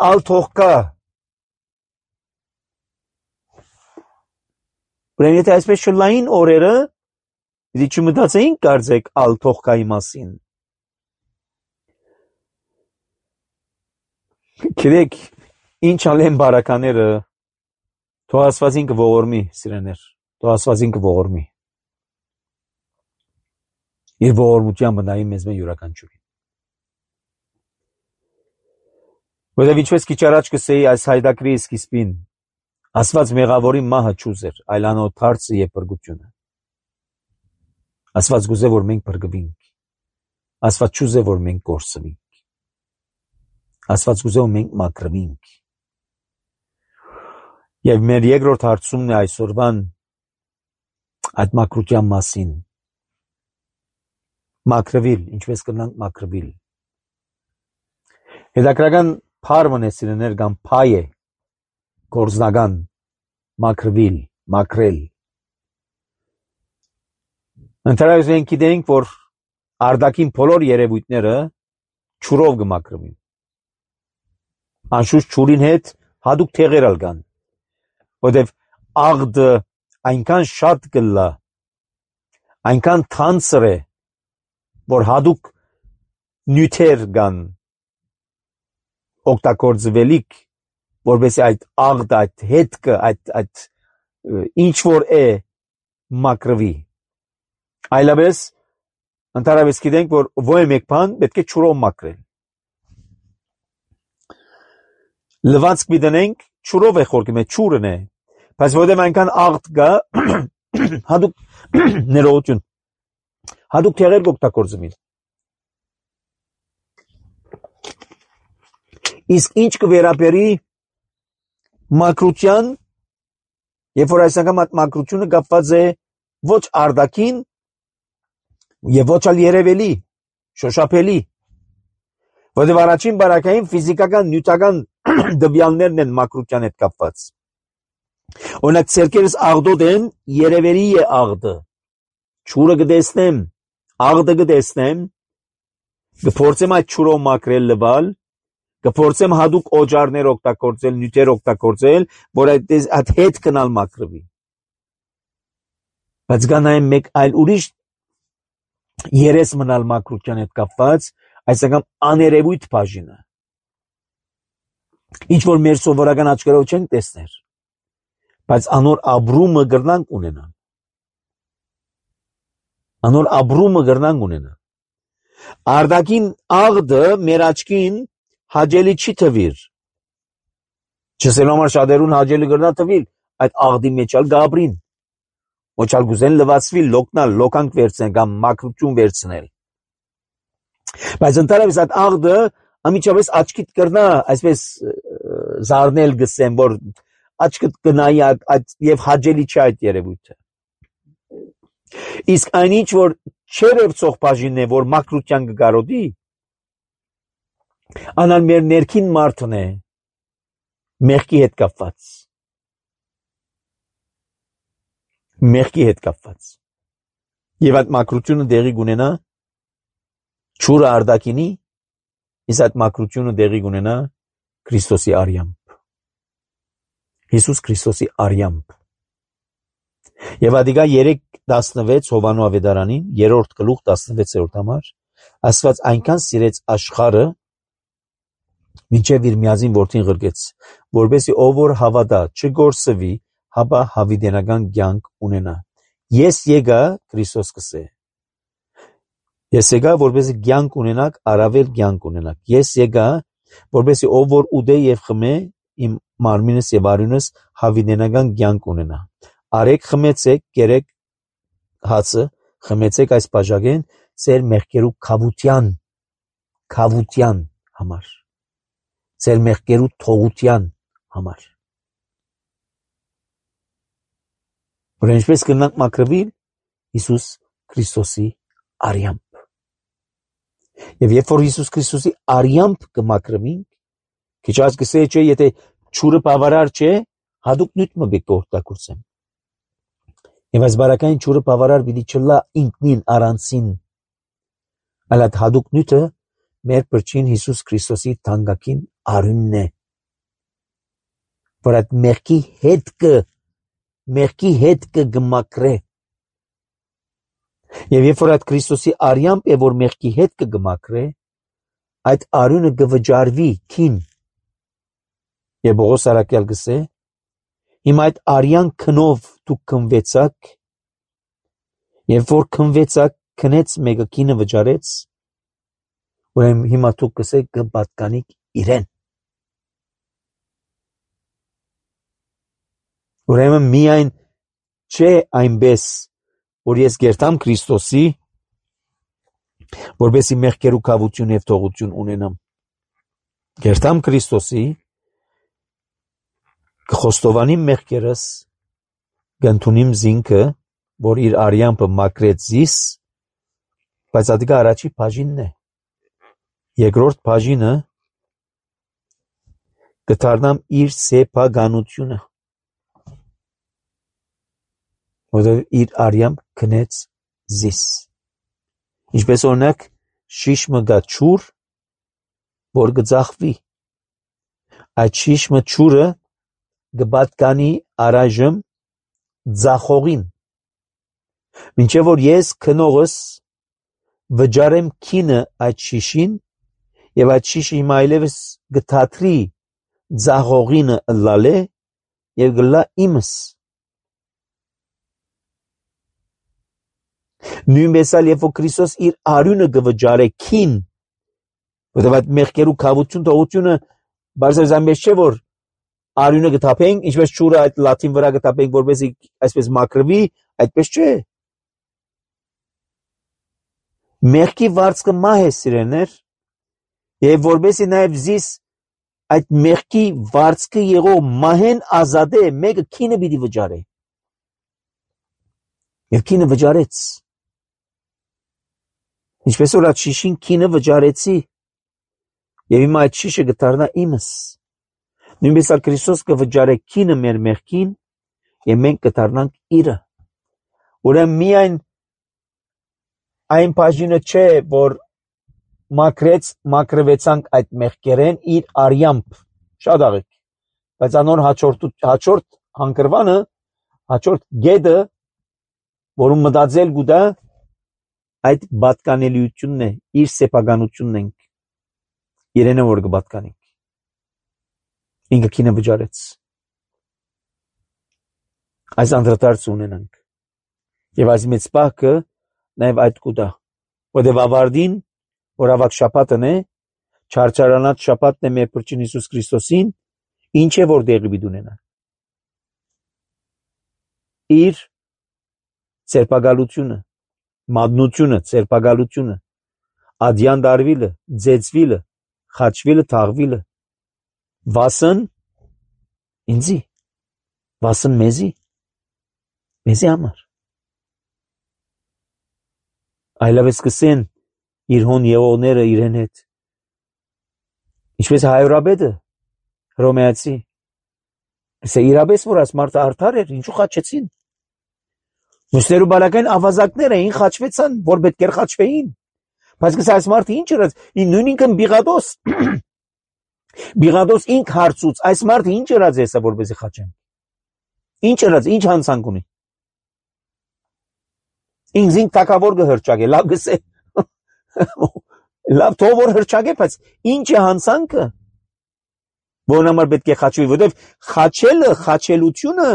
ալ թող գա։ Ուրեմն եթե այսպես շլային օրերը, դի չմտածեինք գարձեք ալ թող գայի մասին։ Գիտեք, ինչ ալեն բարակաները, թող Աստվածին կողորմի, սիրեներ, թող Աստվածին կողորմի։ Իր ողորմությամբ նայի մեզ մե յուրաքանչյուրին։ Որտեւ ինչպես քիչ առաջ կսեի այս հայդակրի սկիզբին, Աստված մեղավորի մահը չուզեր, այլ անոր թարցը եւ փրկությունը։ Աստված գուզե որ մենք փրկվենք։ Աստված չուզե որ մենք կորսվենք։ Աստված գուզե որ մենք մաքրվենք։ Եվ մեր երկրորդ հարցումն է այսօրվան այդ մաքրության մասին։ Մաքրվել, ինչպես կնանք մաքրվել։ Հետաքրական փարմն է սիրեներ կամ փայ է գործնական մաքրվել, մաքրել։ Ընդհանրապես մենք գիտենք, որ արդակին բոլոր երևույթները ջուրով կմաքրվին։ Անշուշտ ջուրին հետ հատուկ թեղեր ալ կան, որտեվ աղդը այնքան շատ կլա, այնքան թանցր է, որ հատուկ նյութեր կան օգտագործվելիք, որովհետեւ այդ աղդը, այդ հետքը, այդ ինչ որ է մաքրվի։ Այլապես ընդհանրապես գիտենք, որ ոչ մեկ բան պետք է ջուրով մաքրել։ Լվացք միտենենք, ջուրով է խորքում է, ջուրն է, բայց որտեղ այնքան աղդ կա, հատուկ ներողություն, հատուկ թեղեր կօգտագործվին։ Իսկ ինչ կվերապերի մաքրության, երբ որ այս անգամ այդ մաքրությունը կապված է ոչ արդակին եւ ոչ ալ երևելի, շոշափելի, որտեղ առաջին բարակային ֆիզիկական նյութական դվյալներն են մաքրության հետ կապված։ Օրինակ ցերկերս աղդոտ են, երևելի է աղդը, ջուրը կտեսնեմ, աղդը կտեսնեմ, կփորձեմ այդ ճուրով մաքրել լվալ, կփորձեմ հadoop օջարներ օգտագործել, նյութեր օգտագործել, որ այդ հետ կնալ մաքրվի։ Բայց գանայեմ մեկ այլ ուրիշ երես մնալ մաքրության հետ կապված, այսինքն աներևույթ բաժինը։ Ինչ որ մեր սովորական աչքերով չենք տեսներ, բայց անոր ապրումը գրնանք ունենան։ Անոր ապրումը գրնանք ունենան։ Արդակին աղդը մեր աչքին հաջելի չի թվիր։ Չսելու համար շատերուն հաջելի գրնա թվիր այդ աղդի մեջալ գաբրին։ Ոչալ գուզեն լվացվի, լոկնալ, լոկանք վերցնել կամ մաքրություն վերցնել։ Բայց ընդհանրապես այդ աղդը ամիջապես աչքիդ կրնա, այսպես զարնել գսեմ, որ աչքիդ կնայի այդ եւ հաջելի չէ այդ երևույթը։ Իսկ այնինչ որ չերևցող բաժինն է, որ մաքրության կգարոդի, անալ մեր ներքին մարդն է, մեղքի հետ կապված։ Մեղքի հետ կապված։ Եվ այդ մաքրությունը դեղի կունենա ճուրը արդակինի, իսկ այդ մաքրությունը դեղի կունենա Քրիստոսի արյամբ։ Հիսուս Քրիստոսի արյամբ։ Եվ ադիգա 3:16 Հովանու ավետարանին, 3-րդ գլուխ 16-րդ համար, Աստված այնքան սիրեց աշխարհը, մինչև իր միածին որդին ղրկեց, որպեսզի ով որ հավատա չգործվի, հապա հավիտենական կյանք ունենա։ Ես եկա, Քրիստոս կսե։ Ես եկա, որպեսզի կյանք ունենաք, առավել կյանք ունենաք։ Ես եկա, որպեսզի ով որ ուտե եւ խմե, իմ մարմինս եւ արյունս հավիտենական կյանք ունենա։ Արեք խմեցեք, կերեք հացը, խմեցեք այս բաժակեն ծեր մեղքերու քավության համար։ Ծեր մեղքերու թողության համար։ Որ ինչպես կնանք մաքրվել Հիսուս Քրիստոսի արյամբ։ Եվ երբ որ Հիսուս Քրիստոսի արյամբ կմաքրվենք, քիչ աց կսեի չէ, եթե ճուրը բավարար չէ, հadoop նյութ մը բեք օգտագործեմ։ Եվ այս բարակային ճուրը բավարար պիտի չլա ինքնին առանցին, այլ այդ հadoop նյութը մեր բրչին Հիսուս Քրիստոսի թանկագին արյունն է, որ այդ մեղքի հետ կգմակրե։ Եվ երբ որ այդ Քրիստոսի արյամբ է, որ մեղքի հետ կգմակրե, այդ արյունը կվճարվի քին։ Եվ Պողոս առաքյալ գսե, հիմա այդ արյան քնով դուք քնվեցաք, երբ որ քնվեցաք, քնեց մեկը քինը վճարեց, ուրեմն հիմա դուք կսեք կպատկանիք իրեն։ Ուրեմն միայն չէ այնպես, որ ես գերտամ Քրիստոսի, որպեսզի մեղքերու քավություն եւ թողություն ունենամ։ Գերտամ Քրիստոսի, կխոստովանիմ մեղքերս, կընդունիմ զինքը, որ իր արյամբը մաքրեց զիս, բայց ադիգա առաջի բաժինն է։ Երկրորդ բաժինը կդառնամ իր սեփականությունը, որովհետև իր արյամբ քնեց զիս։ Ինչպես օրինակ շիշմը գա ճուր, որ կձախվի։ Այդ շիշմը ճուրը կպատկանի առայժմ ձախողին։ Մինչև որ ես քնողս վճարեմ քինը այդ շիշին, եւ այդ շիշը հիմա այլևս կթատրի ձախողինը լալե եւ գլա իմս։ Նույնպես էլ երբ որ Քրիստոս իր արյունը կվճարե քին, որովհետև այդ մեղքերու քավություն թողությունը բարձր այնպես չէ, որ արյունը կթափենք, ինչպես ճուրը այդ լաթին վրա կթափենք, որպեսզի այսպես մաքրվի, այդպես չէ։ Մեղքի վարձքը մահ է, սիրելիներ, եւ որպեսզի նաեւ զիս այդ մեղքի վարձքը եղող մահեն ազատե, մեկը քինը պիտի վճարե։ Եվ քինը վճարեց։ Ինչպես որ այդ շիշին քինը վճարեցի, եւ հիմա այդ շիշը կդառնա իմս։ Նույնպես էլ Քրիստոս կվճարե քինը մեր մեղքին, եւ մենք կդառնանք իրը։ Ուրեմն միայն այն բաժինը չէ, որ մաքրվեցանք այդ մեղքերեն իր արյամբ շատ աղեք, բայց անոր հաջորդ հանգրվանը, հաջորդ գեդը, որում մտածել գուտա, այդ պատկանելիությունն է, իր սեփականությունն ենք, իրենը որ կպատկանենք, ինքը քինը վճարեց, այս անդրադարձ ունենանք, եւ այս մեծ պահքը նաեւ այդ կուտա, որտեւ ավարտին, որ ավակ շաբաթն է, չարչարանած շաբաթն է մեր Փրկին Հիսուս Քրիստոսին, ինչ է որ դեղի պիտի ունենա, իր ծերպակալությունը, մատնությունը, ծերպակալությունը, ադյան դարվիլը, ձեծվիլը, խաչվիլը, թաղվիլը, վասն ինձի, վասն մեզի համար, այլևս կսեն իր հոն եղողները իրեն հետ, ինչպես հայրաբեդը, հռոմեացի, կսե իրապես որ այս մարդը արդար էր, ինչու խաչեցին, մյուսներու բալակային ավազակներ էին խաչվեցան, որ պետք էր խաչվեին, բայց կսե այս մարդը ինչ ըրած, նույն ինքն Բիղադոս ինք հարցուց, այս մարդը ինչ ըրած եսա, որպեսի խաչեն, ինչ ըրած, ինչ հանցանք ունի, ինձ թակավոր կհրճագե, լավ գսե, լավ թող որ հրճագե, բայց ինչ է հանցանքը, որն համար պետք է խաչվի, որտեվ խաչելը, խաչելությունը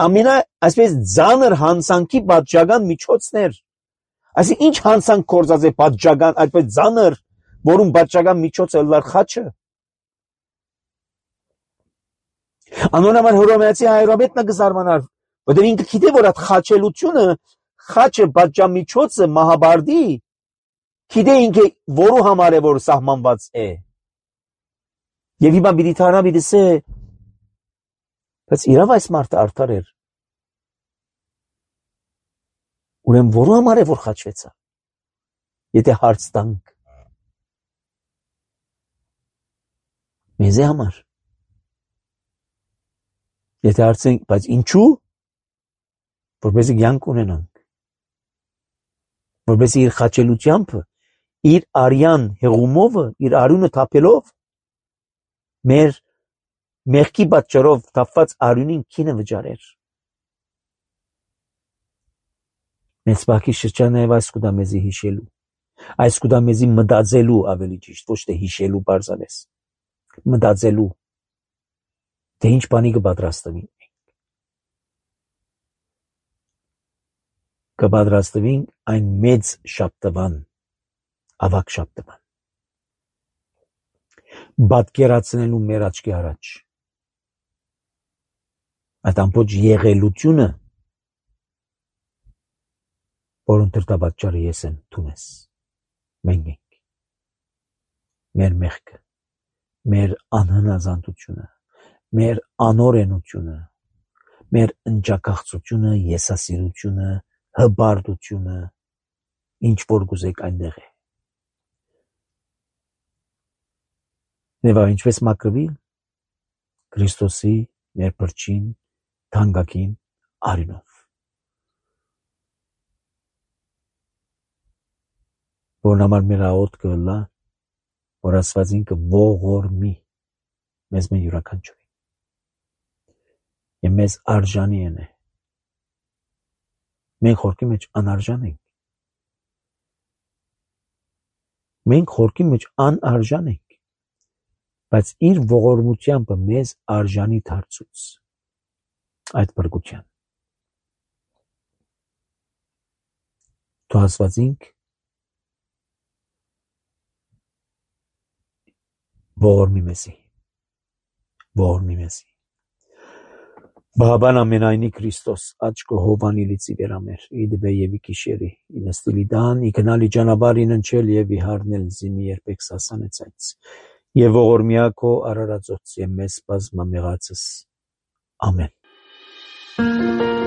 ամենա, այսպես ձանր հանցանքի պատճական միջոցներ, այսինքն ինչ հանցանք կործած է պատճական, այդպես ձանր, որում պատճական միջոցը լար խաչը, անոր համար հռոմեացի հայրաբեդն կզարմանար, որտեվ ինքը գիտե որ այդ խաչելությունը, խաչը պատճամիջոցը մահաբարդի, գիտե ինքը որու համար է որ սահմանված է, եւ հիմա պիտի թարնա պիտի սե, բայց իրավ այս մարդը արդար էր, ուրեմն որու համար է որ խաչվեցա, եթե հարց տանք, մեզի համար, եթե հարցենք, բայց ինչու, որպեսզի կյանք ունենանք, որպեսզի իր խաչելությամբ, իր արյան հեղումովը, իր արյունը թափելով, մեր մեղքի պատճառով թափված արյունին քինը վճարեր։ Մեծ բակի շրջանը եւ այս կուտա մեզի հիշելու, այս կուտա մեզի մտածելու ավելի ճիշտ, ոչ թե հիշելու բարձանես, մտածելու, թե ինչ բանի կպատրաստվի, կպատրաստվին այն մեծ շաբթվան, ավակ շաբթվան, պատկերացնելու մեր աչքի առաջ, այդ ամբողջ եղելությունը, որոնց դրդապատճառը ես եմ թունես, մենք ենք, մեր մեղքը, մեր անհնազանդությունը, մեր անօրենությունը, մեր ընջակաղծությունը, եսասիրությունը, հբարդությունը, ինչ որ գուզեք այնտեղ է։ Եվ ինչպես մաքրվի Քրիստոսի մեր փրկին թանկագին արյունով, որն համար մեր աղոտ կլա, որ Աստվածին կողորմի մեզ մեն յուրաքանչյուրին եւ մեզ արժանի է։ Մենք խորքի մեջ անարժան ենք։ Մենք խորքի մեջ անարժան ենք, բայց իր ողորմությամբ մեզ արժանի դարձուց այդ բրգության։ Դու Աստվածինք ողորմի մեզի, ողորմի մեզի։ Բաբան ամենայնի Քրիստոս աչքը հովանի լիցի վերամեր, իդբե եւ իքիշերի, ինստիլի դան, իքնալի ճանապարհ իննչել եւ իհարնել զիմի երբեք սասանեցած։ Եվ ողորմիակո արարածոց եւ մեզ բազմամեղացս։ Ամեն։